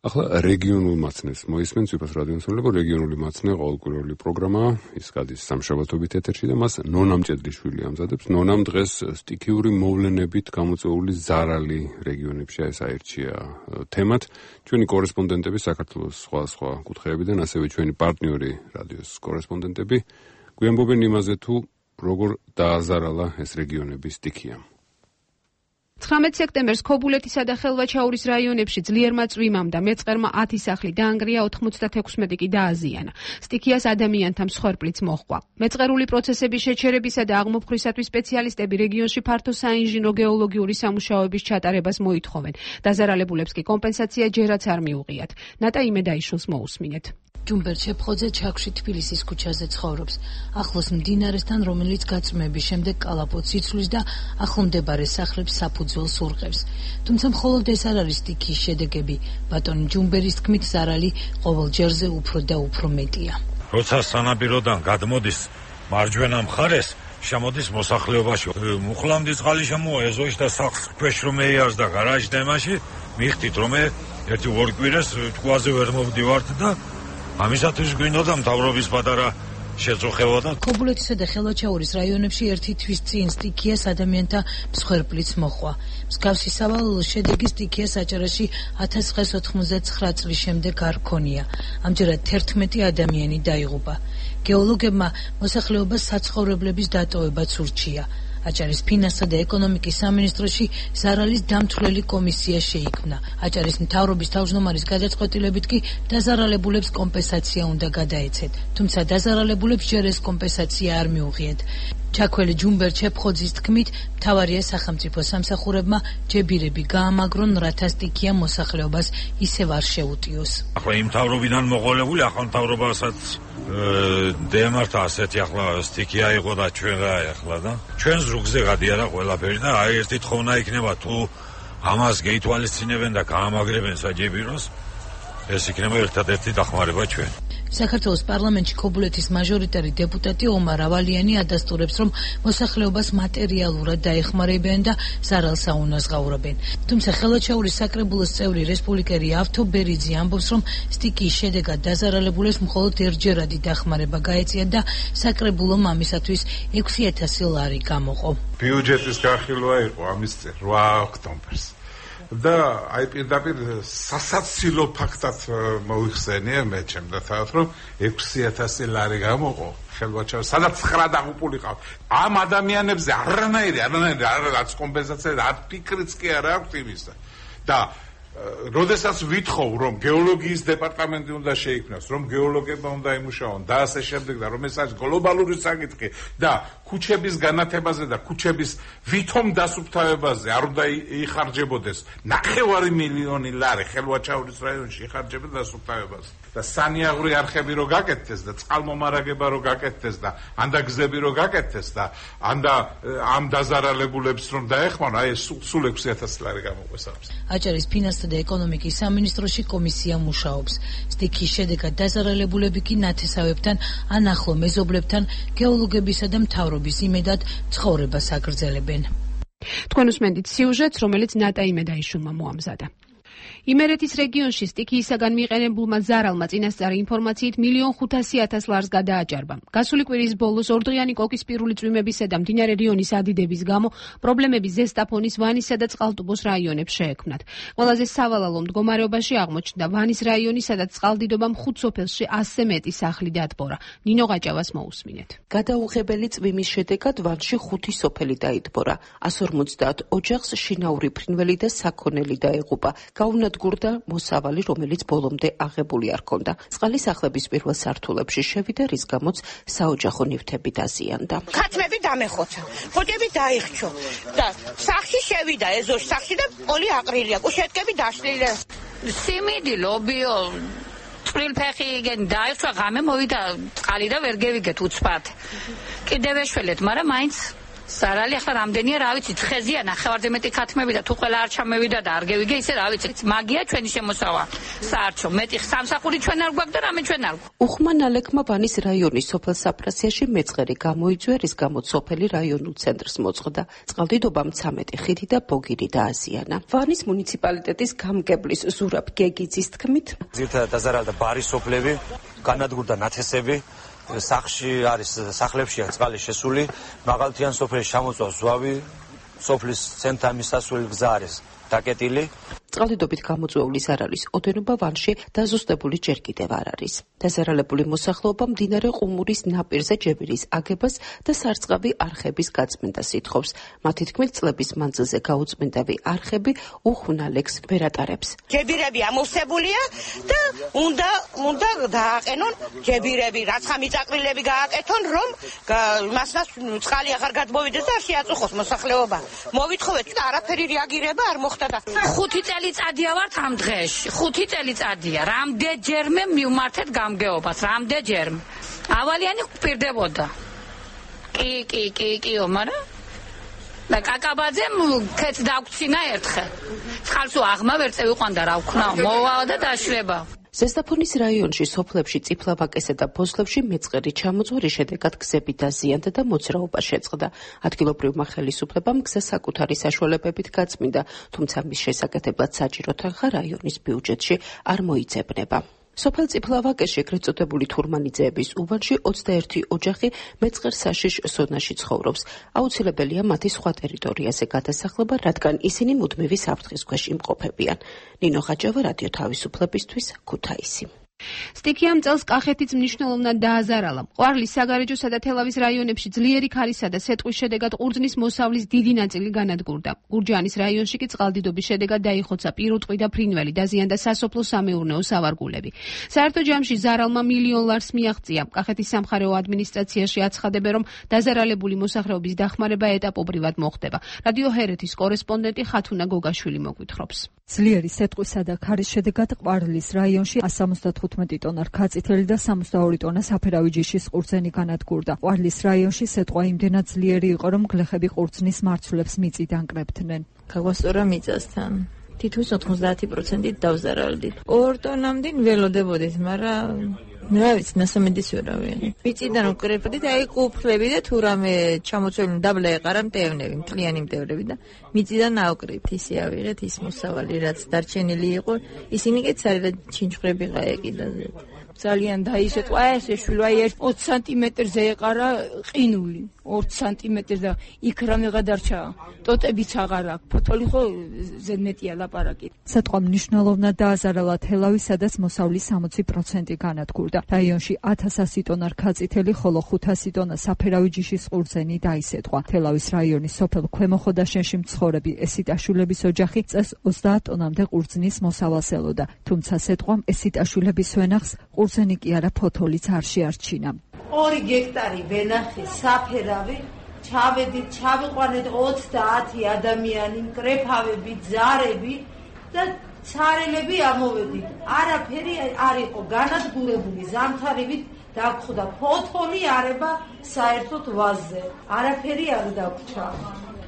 ახლა რეგიონულ მაცნეს მოისმენთ ვიფას რადიოსმენელო, რეგიონული მაცნე ყოველკვირეული პროგრამა, ის გადის სამშაბათობით ეთერში და მას ნონა მჭედლიშვილი ამზადებს. ნონამ დღეს სტიქიური მოვლენებით გამოწვეული ზარალი რეგიონებში ეს აირჩია თემად. ჩვენი კორესპონდენტები საქართველოს სხვა კუთხეებიდან, ასევე ჩვენი პარტნიორი რადიოს კორესპონდენტები გვიამბობენ იმაზე, თუ როგორ დააზარალა ეს რეგიონები სტიქია. 19 სექტემბერს ქობულეთისა და ხელვაჩაურის რაიონებში ძლიერმა წვიმამ და მეწყერმა 10 სახლი დაანგრია, 96 კი დააზიანა. სტიქიას ადამიანთა მსხვერპლიც მოჰყვა. მეწყერული პროცესების შეჩერებისა და აღმოფხვისათვის სპეციალისტები რეგიონში ფართო საინჟინრო გეოლოგიური სამუშაოების ჩატარებას მოითხოვენ. დაზარალებულებს კი კომპენსაცია ჯერაც არ მიუღიათ. ნატა იმედაიშვილს მოусმინეთ. ჯუმბერ ჩეფხოძე ჩაქში თბილისის ქუჩაზე ცხოვრობს. ახლოს მდინარესთან, რომელიც გაწმების შემდეგ კალაპოტს იცვლის და ახლომდებარე სახლებს საფუძველს ურყევს. თუმცა მხოლოდ ეს არ არის სტიქიის შედეგები. ბატონი ჯუმბერის თქმით, ზარალი ყოველ ჯერზე უფრო და უფრო მეტია. როცა სანაპიროდან გადმოდის მარჯვენა მხარეს, შემოდის მოსახლეობაში. მუხლამდი წყალი შემოეზოის და სახლს ქვეშ რომ ეიარს და გარაჟ დემაში, მიხდით რომ ერთი ორ კვირას თქუაზე ვერ მოვდივართ და ამისათვის გვინდოდა მთავრობის პატარა შეწუხება და ქობულეთისა და ხელვაჩაურის რაიონებში ერთი თვის წინ სტიქიას ადამიანთა მსხვერპლიც მოჰყვა. მსგავსი სავალალო შედეგი სტიქიას აჭარაში 1999 წლის შემდეგ არ ქონია. ამჯერად 11 ადამიანი დაიღუპა. გეოლოგებმა მოსახლეობას საცხოვრებლების დატოვებაც ურჩია. აჭარის ფინანსთა და ეკონომიკის სამინისტროში ზარალის დამცვლელი კომისია შეიქმნა. აჭარის მთავრობის თავმჯდომარის გადაწყვეტილებით კი დაზარალებულებს კომპენსაცია უნდა გადაეცეთ. თუმცა დაზარალებულებს ჯერ ეს კომპენსაცია არ მიუღიათ. ჩაქველი ჯუმბერ ჩეფხოძის თქმით, მთავარია სახელმწიფო სამსახურებმა ჯებირები გაამაგრონ, რათა სტიქია მოსახლეობას ისევ არ შეუტიოს. ახლა იმ მთავრობიდან მოყოლებული ახალ მთავრობასაც დემართა ასეთი ახლა სტიქია იყო და ჩვენ რა ახლა და ჩვენ ზრუგზე გადიარა ყველაფერი და აი ერთი თხოვნა იქნება თუ ამას გეითვალისწინებენ და გაამაგრებენ საჯებიროს, ეს იქნება ერთადერთი დახმარება ჩვენ. საქართველოს პარლამენტში ქობულეთის მაჟორიტარი დეპუტატი ომარ ავალიანი ადასტურებს, რომ მოსახლეობას მატერიალურად დაეხმარებიან და ზარალს აუნაზღაურებენ. თუმცა ხელვაჩაურის საკრებულოს წევრი რესპუბლიკელი ავთო ბერიძე ამბობს, რომ სტიქიის შედეგად დაზარალებულებს მხოლოდ ერთჯერადი დახმარება გაეწია და საკრებულომ ამისათვის 6000 ლარი გამოყო. ბიუჯეტის განხილვა იყო ამის წინ 8 ოქტომბერს. და აი პირდაპირ სასაცილო ფაქტად მოიხსენია მე ჩემდა თავად, რომ 6000 ლარი გამოყო ხელვაჩაურის, სადაც 9 დაღუპულიყავ. ამ ადამიანებზე არანაირი არც კომპენსაცია, არც ფიქრიც კი არ აქვს იმისა. და როდესაც ვითხოვ, რომ გეოლოგიის დეპარტამენტი უნდა შეიქმნას, რომ გეოლოგებმა უნდა იმუშაონ და ასე შემდეგ და რომ ეს არის გლობალური საკითხი და ქუჩების განათებაზე და ქუჩების ვითომ დასუფთავებაზე არ უნდა იხარჯებოდეს 9 მილიონი ლარი ხელვაჩაურის რაიონში იხარჯებოდა დასუფთავებაზე. და სანიაღვრი არხები რო გაკეთდეს და წყალმომარაგება რო გაკეთდეს და ანდა გზები რო გაკეთდეს და ანდა ამ დაზარალებულებს რომ დაეხმარონ, აი სულ 6000 ლარი გამოყვეს ამის. აჭარის ფინანსთა და ეკონომიკის სამინისტროში კომისია მუშაობს. სტიქიის შედეგად დაზარალებულები კი ნათესავებთან ან ახლო მეზობლებთან გეოლოგებისა და მთავრობის იმედად ცხოვრებას აგრძელებენ. თქვენ უსმენთ სიუჟეტს, რომელიც ნატა იმედაიშვილმა მოამზადა. იმერეთის რეგიონში სტიქიისაგან მიყენებულმა ზარალმა წინასწარი ინფორმაციით 1,500,000 ლარს გადააჭარბა. გასული კვირის ბოლოს ორდღიანი კოკისპირული წვიმებისა და მდინარე რიონის ადიდების გამო პრობლემები ზესტაფონის, ვანისა და წყალტუბოს რაიონებს შეექმნათ. ყველაზე სავალალო მდგომარეობაში აღმოჩნდა ვანის რაიონი, სადაც წყალდიდობამ 5 სოფელში 100-ზე მეტი სახლი დატბორა. ნინო გაჭავას მოусმინეთ. გადაუღებელი წვიმის შედეგად ვანში 5 სოფელი დაიტბორა. 150 ოჯახს შინაური ფრინველი და საქონელი დაეღუპა. გაუნადგურდა მოსავალი, რომელიც ბოლომდე აღებული არ ჰქონდა. წყალი სახლების პირველ სართულებში შევიდა, რის გამოც საოჯახო ნივთები დაზიანდა. ქათმები დამეხოცა, ხოჭები დაიხჩო და სახლში შევიდა ეზოში სახლში და პოლი აყრილია, კუშეტკები დაშლილი. სიმინდი, ლობიო, წვრილფეხი igen დაიხჩა, ღამე მოვიდა წყალი და ვერ გევიგეთ უცბად. კიდევ ეშველეთ, მაგრამ მაინც სარალი ახლა რამდენია, რა ვიცი, თხეზია ნახევარზე მეტი ქათმები და თუ ყველა არ ჩამევიდა და არ გევიგე, ისე რა ვიცი, მაგია ჩვენი შემოსავა. საარჩო, მეტი სამსახური ჩვენ არ გვაქვს და რამე ჩვენ არ გვაქვს. უხმანალექმა ვანის რაიონის სოფელ საფრასიაში მეწყერი გამოიწვია, რის გამოც სოფელი რაიონულ ცენტრს მოწყდა. წყალდიდობამ 13 ხიდი და ბოგირი დააზიანა. ვანის მუნიციპალიტეტის გამგებლის ზურაბ გეგიძის თქმით, ძირითადად დაზარალდა ბარის სოფლები, განადგურდა ნათესები. სახში არის სახლებშია წყალი შესული, მაღალთიან სოფელში ჩამოწვა ზვავი, სოფლის ცენტრთან მისასვლელი გზა არის დაკეტილი. წყალდიდობით გამოწვეული ზარალის ოდენობა ვანში დაზუსტებული ჯერ კიდევ არ არის. დაზარალებული მოსახლეობა მდინარე ყუმურის ნაპირზე ჯებირის აგებას და სარწყავი არხების გაწმენდას ითხოვს. მათი თქმით, წლების მანძილზე გაუწმენდავი არხები უხუნალექს ვერ ატარებს. ჯებირები ამოვსებულია და უნდა დააყენონ ჯებირები, რაც ხამიწაყრილები გააკეთონ, რომ მასნას წყალი აღარ გადმოვიდეს და შეაწუხოს მოსახლეობა. მოვითხოვეთ და არაფერი რეაგირება არ მოხდა და 5 წელიწადია ვართ ამ დღეში. 5 წელიწადია. რამდენჯერმე მივმართეთ გამგეობას, რამდენჯერმე. ავალიანი გვპირდებოდა. კი, მაგრამ და კაკაბაძემ ქეც დაგვცინა ერთხელ. წყალს აღმა ვერ წევიყვანდა რა ვქნა, მოვა და დაშლება. ზესტაფონის რაიონში სოფლებში წიფლავაკესა და ფოსლებში მეწყერი ჩამოწვრის შედეგად გზები დაზიანდა და მოძრაობა შეწყდა. ადგილობრივმა ხელისუფლებამ გზა საკუთარი საშუალებებით გაწმინდა, თუმცა მის შესაკეთებლად საჭირო თანხა რაიონის ბიუჯეტში არ მოიძებნება. სოფელ წიფლავაკეში ეგრეთ წოდებული თურმანიძეების უბანში 21 ოჯახი მეწყერ საშიშ ზონაში ცხოვრობს. აუცილებელია მათი სხვა ტერიტორიაზე გადასახლება, რადგან ისინი მუდმივი საფრთხის ქვეშ იმყოფებიან. ნინო ხაჭავა, რადიო თავისუფლებისთვის, ქუთაისი. სტიქიამ წელს კახეთიც მნიშვნელოვნად დააზარალა. ყვარლის, საგარეჯოსა და თელავის რაიონებში ძლიერი ქარისა და სეტყვის შედეგად ყურძნის მოსავლის დიდი ნაწილი განადგურდა. გურჯაანის რაიონში კი წყალდიდობის შედეგად დაიხოცა პირუტყვი და ფრინველი, დაზიანდა სასოფლო-სამეურნეო სავარგულები. საერთო ჯამში ზარალმა 1,000,000 ლარს მიაღწია. კახეთის სამხარეო ადმინისტრაციაში აცხადებენ, რომ დაზარალებული მოსახლეობის დახმარება ეტაპობრივად მოხდება. რადიო ჰერეთის კორესპონდენტი ხათუნა გოგაშვილი მოგვითხრობს. ძლიერი სეტყვისა და ქარის შედეგად ყვარლის რაიონში 175 ტონა რქაწითელი და 62 ტონა საფერავი ჯიშის ყურძენი განადგურდა. ყვარლის რაიონში სეტყვა იმდენად ძლიერი იყო, რომ გლეხები ყურძნის მარცვლებს მიწით ანკრებდნენ. გაგვასწორა მიწასთან. თითქოს 90% დავზარალდით. 2 ტონამდე ველოდებოდით, მაგრამ რა ვიცი, ნასამედის ვერავინ. მიწიდან უკრეფდით, აი ყუფლები და თუ რამე ჩამოცველი დაბლა ეყარა მტევნები, მთლიანი მტევნები და მიწიდან ავკრით, ისე ავიღეთ ის მოსავალი, რაც დარჩენილი იყო, ისინი კი ცალკე ჩინჩხრები გაეკიდაზე. ძალიან დაისეთყვა ეს ეშვილა 20 სანტიმეტრზე ეყარა ყინული 2 სანტიმეტრზე და იქ რამე გადარჩა ტოტებიც აღარ აქვს ფოთოლი ხო ზედმეტია ლაპარაკი სიტყვა მნიშვნელოვნად დააზარალა თელავის სადაც მოსავლის 60% განადგურდა რაიონში 1100 ტონა რქაწითელი ხოლო 500 ტონა საფერავი ჯიშის ყურძენი დაისეთყვა თელავის რაიონის სოფელ ქვემოხოდაშენში მცხოვრები ესიტაშვილების ოჯახი წეს 30 ტონამდე ყურძნის მოსავალს ელოდა თუმცა სიტყვამ ესიტაშვილების ვენახს ყურძენი კი არა ფოთოლიც არ შეარჩინა 2 გექტარი ვენახი საფერავი ჩავედით ჩავიყვანეთ 30 ადამიანი მკრეფავები ძარები და ცარელები ამოვედით არაფერი არ იყო განადგურებული ზამთარივით დაგხვდა ფოთოლი არება საერთოდ ვაზზე არაფერი არ დაგვრჩა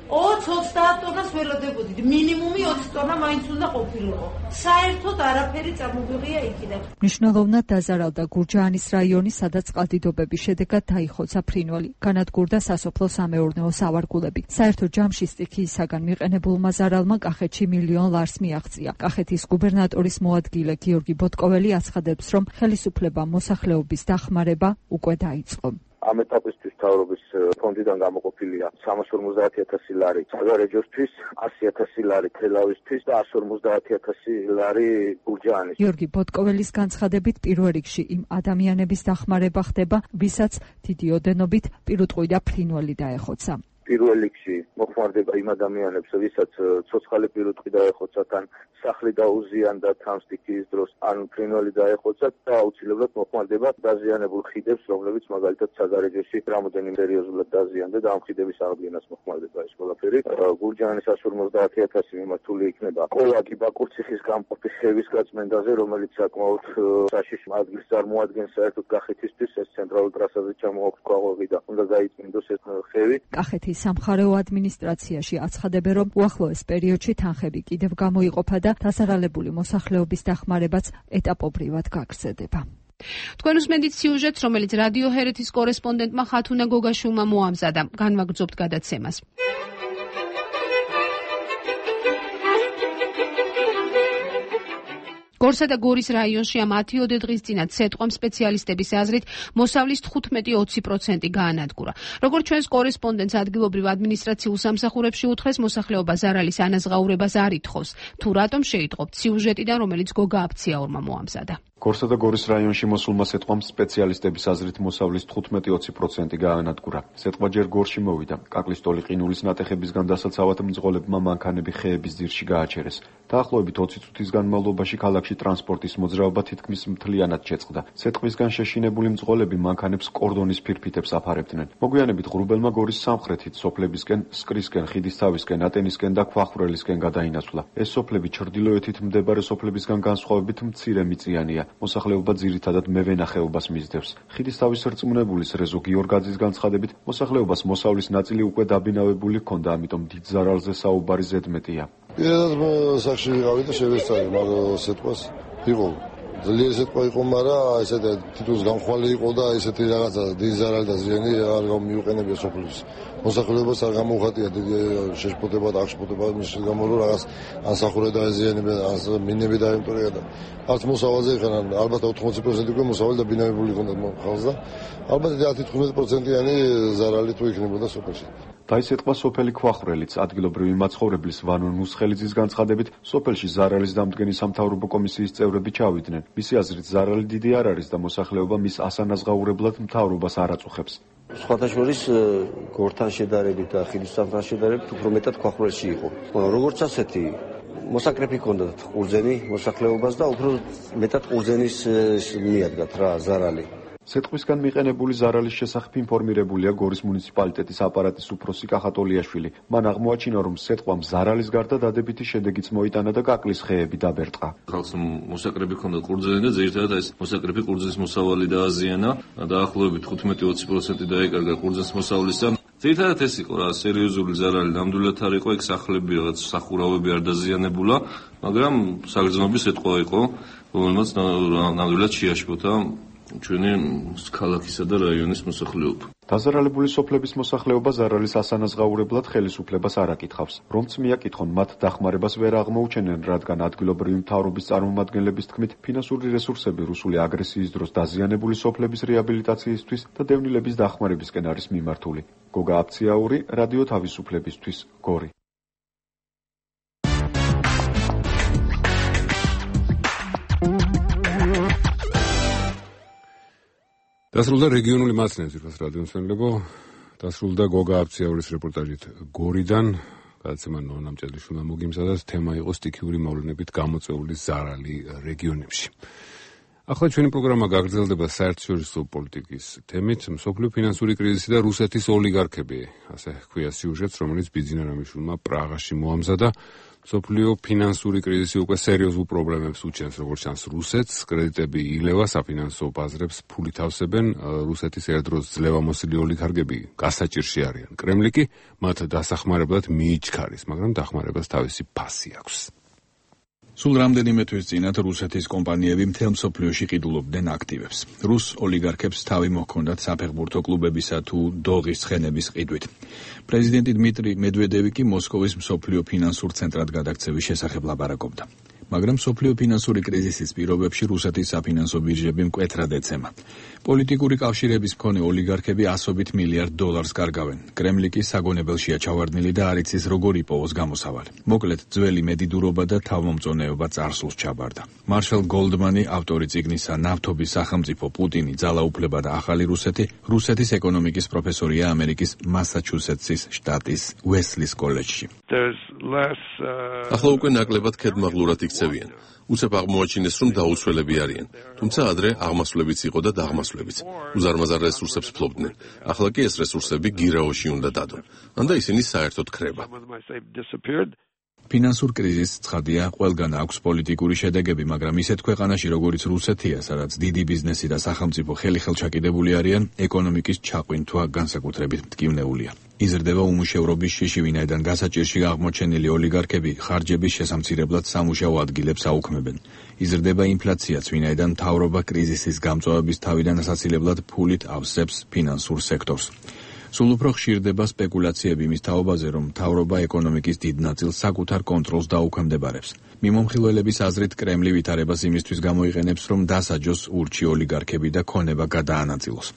20-30 ტონას ველოდებოდით მინიმუმი 20 ტონა მაინც უნდა ყოფილიყო საერთოდ არაფერი წამოვიღია იქიდან მნიშვნელოვნად დაზარალდა გურჯაანის რაიონი სადაც წყალდიდობების შედეგად დაიხოცა ფრინველი განადგურდა სასოფლო-სამეურნეო სავარგულები საერთო ჯამში სტიქიისაგან მიყენებულმა ზარალმა კახეთში $1 მილიონ მიაღწია კახეთის გუბერნატორის მოადგილე გიორგი ბოტკოველი აცხადებს რომ ხელისუფლებამ მოსახლეობის დახმარება უკვე დაიწყო ამ ეტაპისთვის მთავრობის ფონდიდან გამოყოფილია 350,000 ლარი საგარეჯოსთვის, 100,000 ლარი თელავისთვის და 150,000 ლარი გურჯაანის. გიორგი ბოტკოველის განცხადებით პირველ რიგში იმ ადამიანების დახმარება ხდება, ვისაც დიდი ოდენობით პირუტყვი და ფრინველი დაეხოცა. პირველ რიგში მოხმარდება იმ ადამიანებს, ვისაც ცოცხალი პირუტყვი დაეხოცათ ან სახლი დაუზიანდა თან სტიქიის დროს, ან ფრინველი დაეხოცათ და აუცილებლად მოხმარდება დაზიანებულ ხიდებს, რომლებიც მაგალითად საგარეჯოში რამოდენიმე სერიოზულად დაზიანდა და ამ ხიდების აღდგენას მოხმარდება ეს ყველაფერი. გურჯაანის 150,000 მიმართული იქნება კოლაკი ბაკურციხის გამყოფი ხევის გაწმენდაზე, რომელიც საკმაოდ საშიში ადგილს წარმოადგენს საერთოდ კახეთისთვის, ეს ცენტრალურ ტრასაზე ჩამოაქვს ქვაღვები და უნდა გაიწმინდოს ეს ხევი. კახეთის სამხარეო ადმინისტრაციაში აცხადებენ, რომ უახლოეს პერიოდში თანხები კიდევ გამოიყოფა და დასარალებული მოსახლეობის დახმარებაც ეტაპობრივად გაგრძელდება. თქვენ უსმენთ სიუჟეტს, რომელიც რადიო ჰერეთის კორესპონდენტმა ხათუნა გოგაშვილმა მოამზადა. განვაგრძობთ გადაცემას. გორსა და გორის რაიონში ამ 10 დღის წინათ სეტყვამ სპეციალისტების აზრით მოსავლის 15-20% გაანადგურა. როგორც ჩვენს კორესპონდენტს ადგილობრივ ადმინისტრაციულ სამსახურებში უთხრეს, მოსახლეობა ზარალის ანაზღაურებას არ ითხოვს. თუ რატომ შეიტყობთ სიუჟეტიდან, რომელიც გოგა აფციაურმა მოამზადა. გორსა და გორის რაიონში მოსულმა სეტყვამ სპეციალისტების აზრით მოსავლის 15-20% გაანადგურა. სეტყვა ჯერ გორში მოვიდა. კაკლისტოლი ყინულის ნატეხებისგან დასაცავად მძღოლებმა მანქანები ხეების ძირში გააჩერეს. დაახლოებით 20 წუთის განმავლობაში ქალაქში ტრანსპორტის მოძრაობა თითქმის მთლიანად შეწყდა. სეტყვისგან შეშინებული მძღოლები მანქანებს კორდონის ფირფიტებს აფარებდნენ. მოგვიანებით ღრუბელმა გორის სამხრეთით სოფლებისკენ, სკრისკენ, ხიდისთავისკენ, ატენისკენ და ქვახრელისკენ გადაინაცვლა. ეს სოფლები ჩრდილოეთით მდებარე სოფლებისგან განსხვავებით მცირე მიწიანია. მოსახლეობა ძირითადად მევენახეობას მისდევს. ხიდისთავის რწმუნებულის რეზო გიორგაძის განცხადებით, მოსახლეობას მოსავლის ნაწილი უკვე დაბინავებული ჰქონდა, ამიტომ დიდ ზარალზე საუბარი ზედმეტია. პირადად სახში ვიყავი და შევესწარი მაგ სიტყვას. იყო ძლიერი სიტყვა იყო, მაგრამ ესეთი თითქოს გამხვალე იყო და ესეთი რაღაცა დიდი ზარალი და ზიანი არ გამიუყენებია სოფლის მოსახლეობას არ გამოუხატია დიდი შეშფოთება და აღშფოთება მის გამო რომ რაღაც ანსახურე დაეზიანებენ, ან მინები დაემტორია და არც მოსავალზე ხან ალბათ 80% უკვე მოსავალი დაბინავებული ჰქონდა ხალხს და ალბათ 10-15%-იანი ზარალი თუ იქნებოდა სოფელში. დაისეტყვა სოფელი ქვახრელიც ადგილობრივი მაცხოვრებლის ვანონ მუსხელიძის განცხადებით, სოფელში ზარალის დამდგენი სამთავრობო კომისიის წევრები ჩავიდნენ. მისი აზრით ზარალი დიდი არ არის და მოსახლეობა მის ასანაზღაურებლად მთავრობას არ აწუხებს. სხვათა შორის გორთან შედარებით და ხიდისთავთან შედარებით უფრო მეტად ქვახრელში იყო. როგორც ასეთი მოსაკრეფი ჰქონდათ ყურძენი მოსახლეობას და უფრო მეტად ყურძენის მიადგათ რა ზარალი. სეტყვისგან მიყენებული ზარალის შესახებ ინფორმირებულია გორის მუნიციპალიტეტის აპარატის უფროსი კახატოლიაშვილი. მან აღმოაჩინა, რომ სეტყვამ ზარალის გარდა დადებითი შედეგიც მოიტანა და კაკლის ხეები დაბერტყა. ხალხს მოსაკრეფი ჰქონდა ყურძენი და ძირითადად ეს მოსაკრეფი ყურძნის მოსავალი დააზიანა. დაახლოებით 15-20% დაეკარგა ყურძნის მოსავლისა. ძირითადად ეს იყო რა სერიოზული ზარალი ნამდვილად არ იყო, ეგ სახლები რაღაც სახურავები არ დაზიანებულა, მაგრამ საგრძნობი სეტყვა იყო, რომელმაც ნამდვილად შეაშფოთა ჩვენი ქალაქისა და რაიონის მოსახლეობა. დაზარალებული სოფლების მოსახლეობა ზარალის ასანაზღაურებლად ხელისუფლებას არ აკითხავს. რომც მიაკითხონ, მათ დახმარებას ვერ აღმოუჩენენ, რადგან ადგილობრივი მთავრობის წარმომადგენლების თქმით, ფინანსური რესურსები რუსული აგრესიის დროს დაზიანებული სოფლების რეაბილიტაციისთვის და დევნილების დახმარებისკენ არის მიმართული. გოგა აფციაური, რადიო თავისუფლებისთვის, გორი. დასრულდა რეგიონული მაცნევის რადიომსმენლებო, დასრულდა გოგა აფციაურის რეპორტაჟით გორიდან, გადაცემა ნონა მჭედლიშვილმა მოგიმზადათ, თემა იყო სტიქიური მოვლენებით გამოწვეული ზარალი რეგიონებში. ახლა ჩვენი პროგრამა გაგრძელდება საერთაშორისო პოლიტიკის თემით, მსოფლიო ფინანსური კრიზისი და რუსეთის ოლიგარქები, ასე ჰქვია სიუჟეტს, რომელიც ბიძინა რამიშვილმა პრაღაში მოამზადა. მსოფლიო ფინანსური კრიზისი უკვე სერიოზულ პრობლემებს უჩენს, როგორც ჩანს რუსეთს, კრედიტები ილევა, საფინანსო ბაზრებს ფულით ავსებენ, რუსეთის ერთდროს ძლევამოსილი ოლიგარქები გასაჭირში არიან. კრემლი კი მათ დასახმარებლად მიიჩქარის, მაგრამ დახმარებას თავისი ფასი აქვს. სულ რამდენიმე თვის წინათ რუსეთის კომპანიები მთელ მსოფლიოში ყიდულობდნენ აქტივებს. რუს ოლიგარქებს თავი მოჰქონდათ საფეხბურთო კლუბებისა თუ დოღის ცხენების ყიდვით. პრეზიდენტი დმიტრი მედვედევი კი მოსკოვის მსოფლიო ფინანსურ ცენტრად გადაქცევის შესახებ ლაპარაკობდა. მაგრამ მსოფლიო ფინანსური კრიზისის პირობებში რუსეთის საფინანსო ბირჟები მკვეთრად ეცემა. პოლიტიკური კავშირების მქონე ოლიგარქები ასობით მილიარდ დოლარს კარგავენ. კრემლი კი საგონებელშია ჩავარდნილი და არ იცის როგორ იპოვოს გამოსავალი. მოკლედ, ძველი მედიდურობა და თავმომწონეობა წარსულს ჩაბარდა. მარშალ გოლდმანი, ავტორი წიგნისა ნავთობის სახელმწიფო პუტინი, ძალაუფლება და ახალი რუსეთი, რუსეთის ეკონომიკის პროფესორია ამერიკის მასაჩუსეტსის შტატის უესლის კოლეჯში. ახლა უკვე ნაკლებად ქედმაღლურად იქცევიან. უცებ აღმოაჩინეს, რომ დაუცველები არიან. თუმცა ადრე აღმასვლებიც იყო და დაღმასვლებიც. უზარმაზარ რესურსებს ფლობდნენ. ახლა კი ეს რესურსები გირაოში უნდა დადონ. ანდა ისინი საერთოდ ქრება. ფინანსურ კრიზისს ცხადია, ყველგან აქვს პოლიტიკური შედეგები, მაგრამ ისეთ ქვეყანაში, როგორც რუსეთია, სადაც დიდი ბიზნესი და სახელმწიფო ხელჩაკიდებული არიან, ეკონომიკის ჩაყვინთვა განსაკუთრებით მტკივნეულია. იზრდება უმუშევრობის შიში, ვინაიდან გასაჭირში აღმოჩენილი ოლიგარქები ხარჯების შესამცირებლად სამუშაო ადგილებს აუქმებენ. იზრდება ინფლაციაც, ვინაიდან მთავრობა კრიზისის გამწვავების თავიდან ასაცილებლად ფულით ავსებს ფინანსურ სექტორს. სულ უფრო ხშირდება სპეკულაციები იმის თაობაზე, რომ მთავრობა ეკონომიკის დიდ ნაწილს საკუთარ კონტროლს დაუქვემდებარებს. მიმომხილველების აზრით, კრემლი ვითარებას იმისთვის გამოიყენებს, რომ დასაჯოს ურჩი ოლიგარქები და ქონება გადაანაწილოს.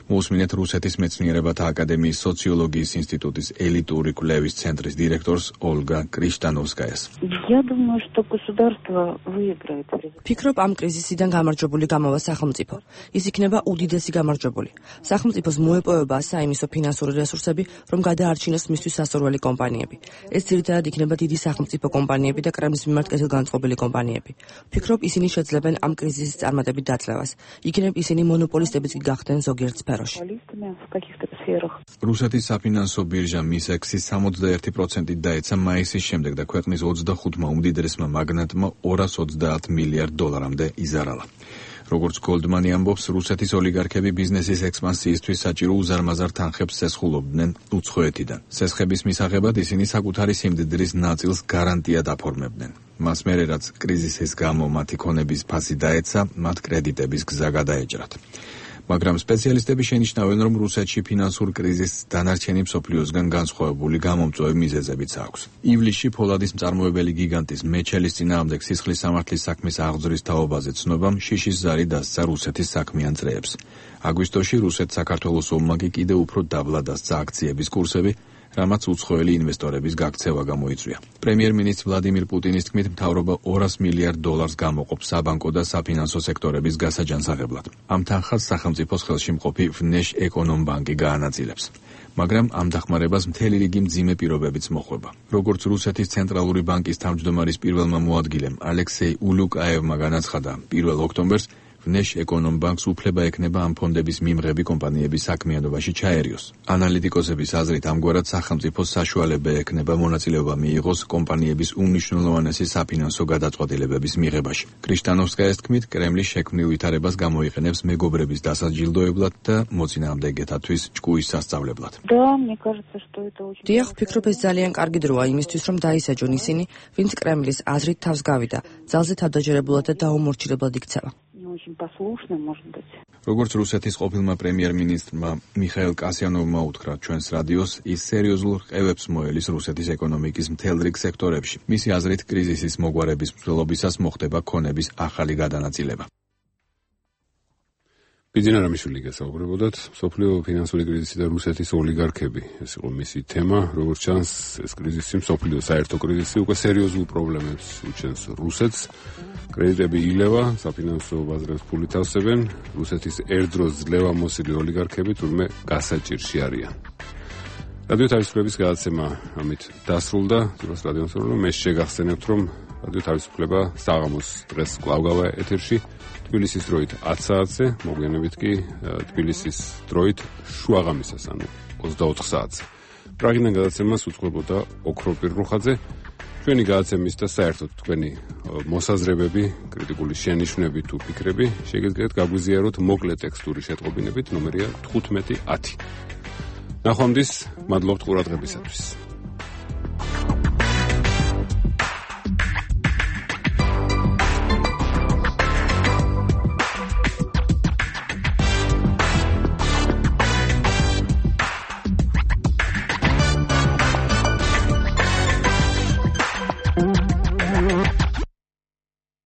მოусმინეთ რუსეთის მეცნიერებათა აკადემიის სოციოლოგიის ინსტიტუტის ელიტური კვლევის ცენტრის დირექტორს ოლგა კრიშტანოვსკაიას. ფიქრობ, ამ კრიზისიდან გამარჯვებული გამოვა სახელმწიფო. ის იქნება უდიდესი გამარჯვებული. სახელმწიფოს მოეპოვება საიმისო ფინანსური რესურსები, რომ გადაარჩინოს მისთვის სასურველი კომპანიები. ეს ძირითადად იქნება დიდი სახელმწიფო კომპანიები და კრემლის მიმართ კეთილგანწყობილი კომპანიები. ფიქრობ, ისინი შეძლებენ ამ კრიზისის წარმატებით დაწლევას. იქნებ ისინი მონოპოლისტებიც კი გახდნენ ზოგიერთ სფეროში. რუსეთის საფინანსო ბირჟა მისექსის 61%-ით დაეცა მაისის შემდეგ და ქვეყნის 25-მა უმდიდრესმა მაგნატმა 230 მილიარდ დოლარამდე იზარალა. როგორც გოლდმანი ამბობს, რუსეთის ოლიგარქები ბიზნესის ექსპანსიისთვის საჭირო უზარმაზარ თანხებს სესხულობდნენ უცხოეთიდან. სესხების მისაღებად ისინი საკუთარი სიმდიდრის ნაწილს გარანტიად აფორმებდნენ. მას მერე, რაც კრიზისის გამო მათი ქონების ფასი დაეცა, მათ კრედიტების გზა გადაეჭრათ. მაგრამ სპეციალისტები შენიშნავენ, რომ რუსეთში ფინანსურ კრიზისს დანარჩენი მსოფლიოსგან განსხვავებული გამომწვევი მიზეზებიც აქვს. ივლისში ფოლადის მწარმოებელი გიგანტის მეჩელის წინააღმდეგ სისხლის სამართლის საქმის აღძრის თაობაზე ცნობამ შიშის ზარი დასცა რუსეთის საქმიან წრეებს. აგვისტოში რუსეთ-საქართველოს ომმა კიდევ უფრო დაბლა დასცა აქციების კურსები, რამაც უცხოელი ინვესტორების გაქცევა გამოიწვია. პრემიერ-მინისტრ ვლადიმირ პუტინის თქმით, მთავრობა 200 მილიარდ დოლარს გამოყოფს საბანკო და საფინანსო სექტორების გასაჯანსაღებლად. ამ თანხას სახელმწიფოს ხელში მყოფი ვნეშ-ეკონომბანკი გაანაწილებს. მაგრამ ამ დახმარებას მთელი რიგი მძიმე პირობებიც მოხვება. როგორც რუსეთის ცენტრალური ბანკის თავმჯდომარის პირველმა მოადგილემ ალექსეი ულუკაევმა განაცხადა, 1 ოქტომბერს ვნეშ-ეკონომბანკს უფლება ექნება ამ ფონდების მიმღები კომპანიების საქმიანობაში ჩაერიოს. ანალიტიკოსების აზრით, ამგვარად სახელმწიფოს საშუალება ექნება მონაწილეობა მიიღოს კომპანიების უმნიშვნელოვანესი საფინანსო გადაწყვეტილებების მიღებაში. კრიშტანოვსკაიას თქმით, კრემლი შექმნილ ვითარებას გამოიყენებს მეგობრების დასაჯილდოებლად და მოწინააღმდეგეთათვის ჭკუის სასწავლებლად. დიახ, ვფიქრობ, ეს ძალიან კარგი დროა იმისთვის, რომ დაისაჯონ ისინი, ვინც კრემლის აზრით თავს გავიდა, ძალზე თავდაჯერებულად და დაუმორჩილებლად იქცევა. როგორც რუსეთის ყოფილმა პრემიერ-მინისტრმა მიხაილ კასიანოვმა უთხრა ჩვენს რადიოს, ის სერიოზულ რყევებს მოელის რუსეთის ეკონომიკის მთელ რიგ სექტორებში. მისი აზრით, კრიზისის მოგვარების მსვლელობისას მოხდება ქონების ახალი გადანაწილება. ბიძინა რამიშვილი გესაუბრებოდათ, მსოფლიო ფინანსური კრიზისი და რუსეთის ოლიგარქები. ეს იყო მისი თემა, როგორც ჩანს, ეს კრიზისი, მსოფლიო საერთო კრიზისი უკვე სერიოზულ პრობლემებს უჩენს რუსეთს. კრედიტები ილევა, საფინანსო ბაზრებს ფულით ავსებენ, რუსეთის ერთდროს ძლევამოსილი ოლიგარქები თურმე გასაჭირში არიან. რადიო თავისუფლების გადაცემა ამით დასრულდა. თუნდაც რადიო თავისუფლება მე შეგახსენებთ, რომ რადიო თავისუფლება საღამოს დღეს კვლავ გავა ეთერში. თბილისის დროით 10 საათზე, მოგვიანებით კი თბილისის დროით შუაღამისას, ანუ 24 საათზე. პრაღიდან გადაცემას უწყებოდა ოქრო პირრუხაძე. ჩვენი გადაცემის და საერთოდ თქვენი მოსაზრებები, კრიტიკული შენიშვნები თუ ფიქრები შეგიძლიათ გაგვიზიაროთ მოკლე ტექსტური შეტყობინებით, ნომერია 1510. ნახვამდის, მადლობთ ყურადღებისათვის.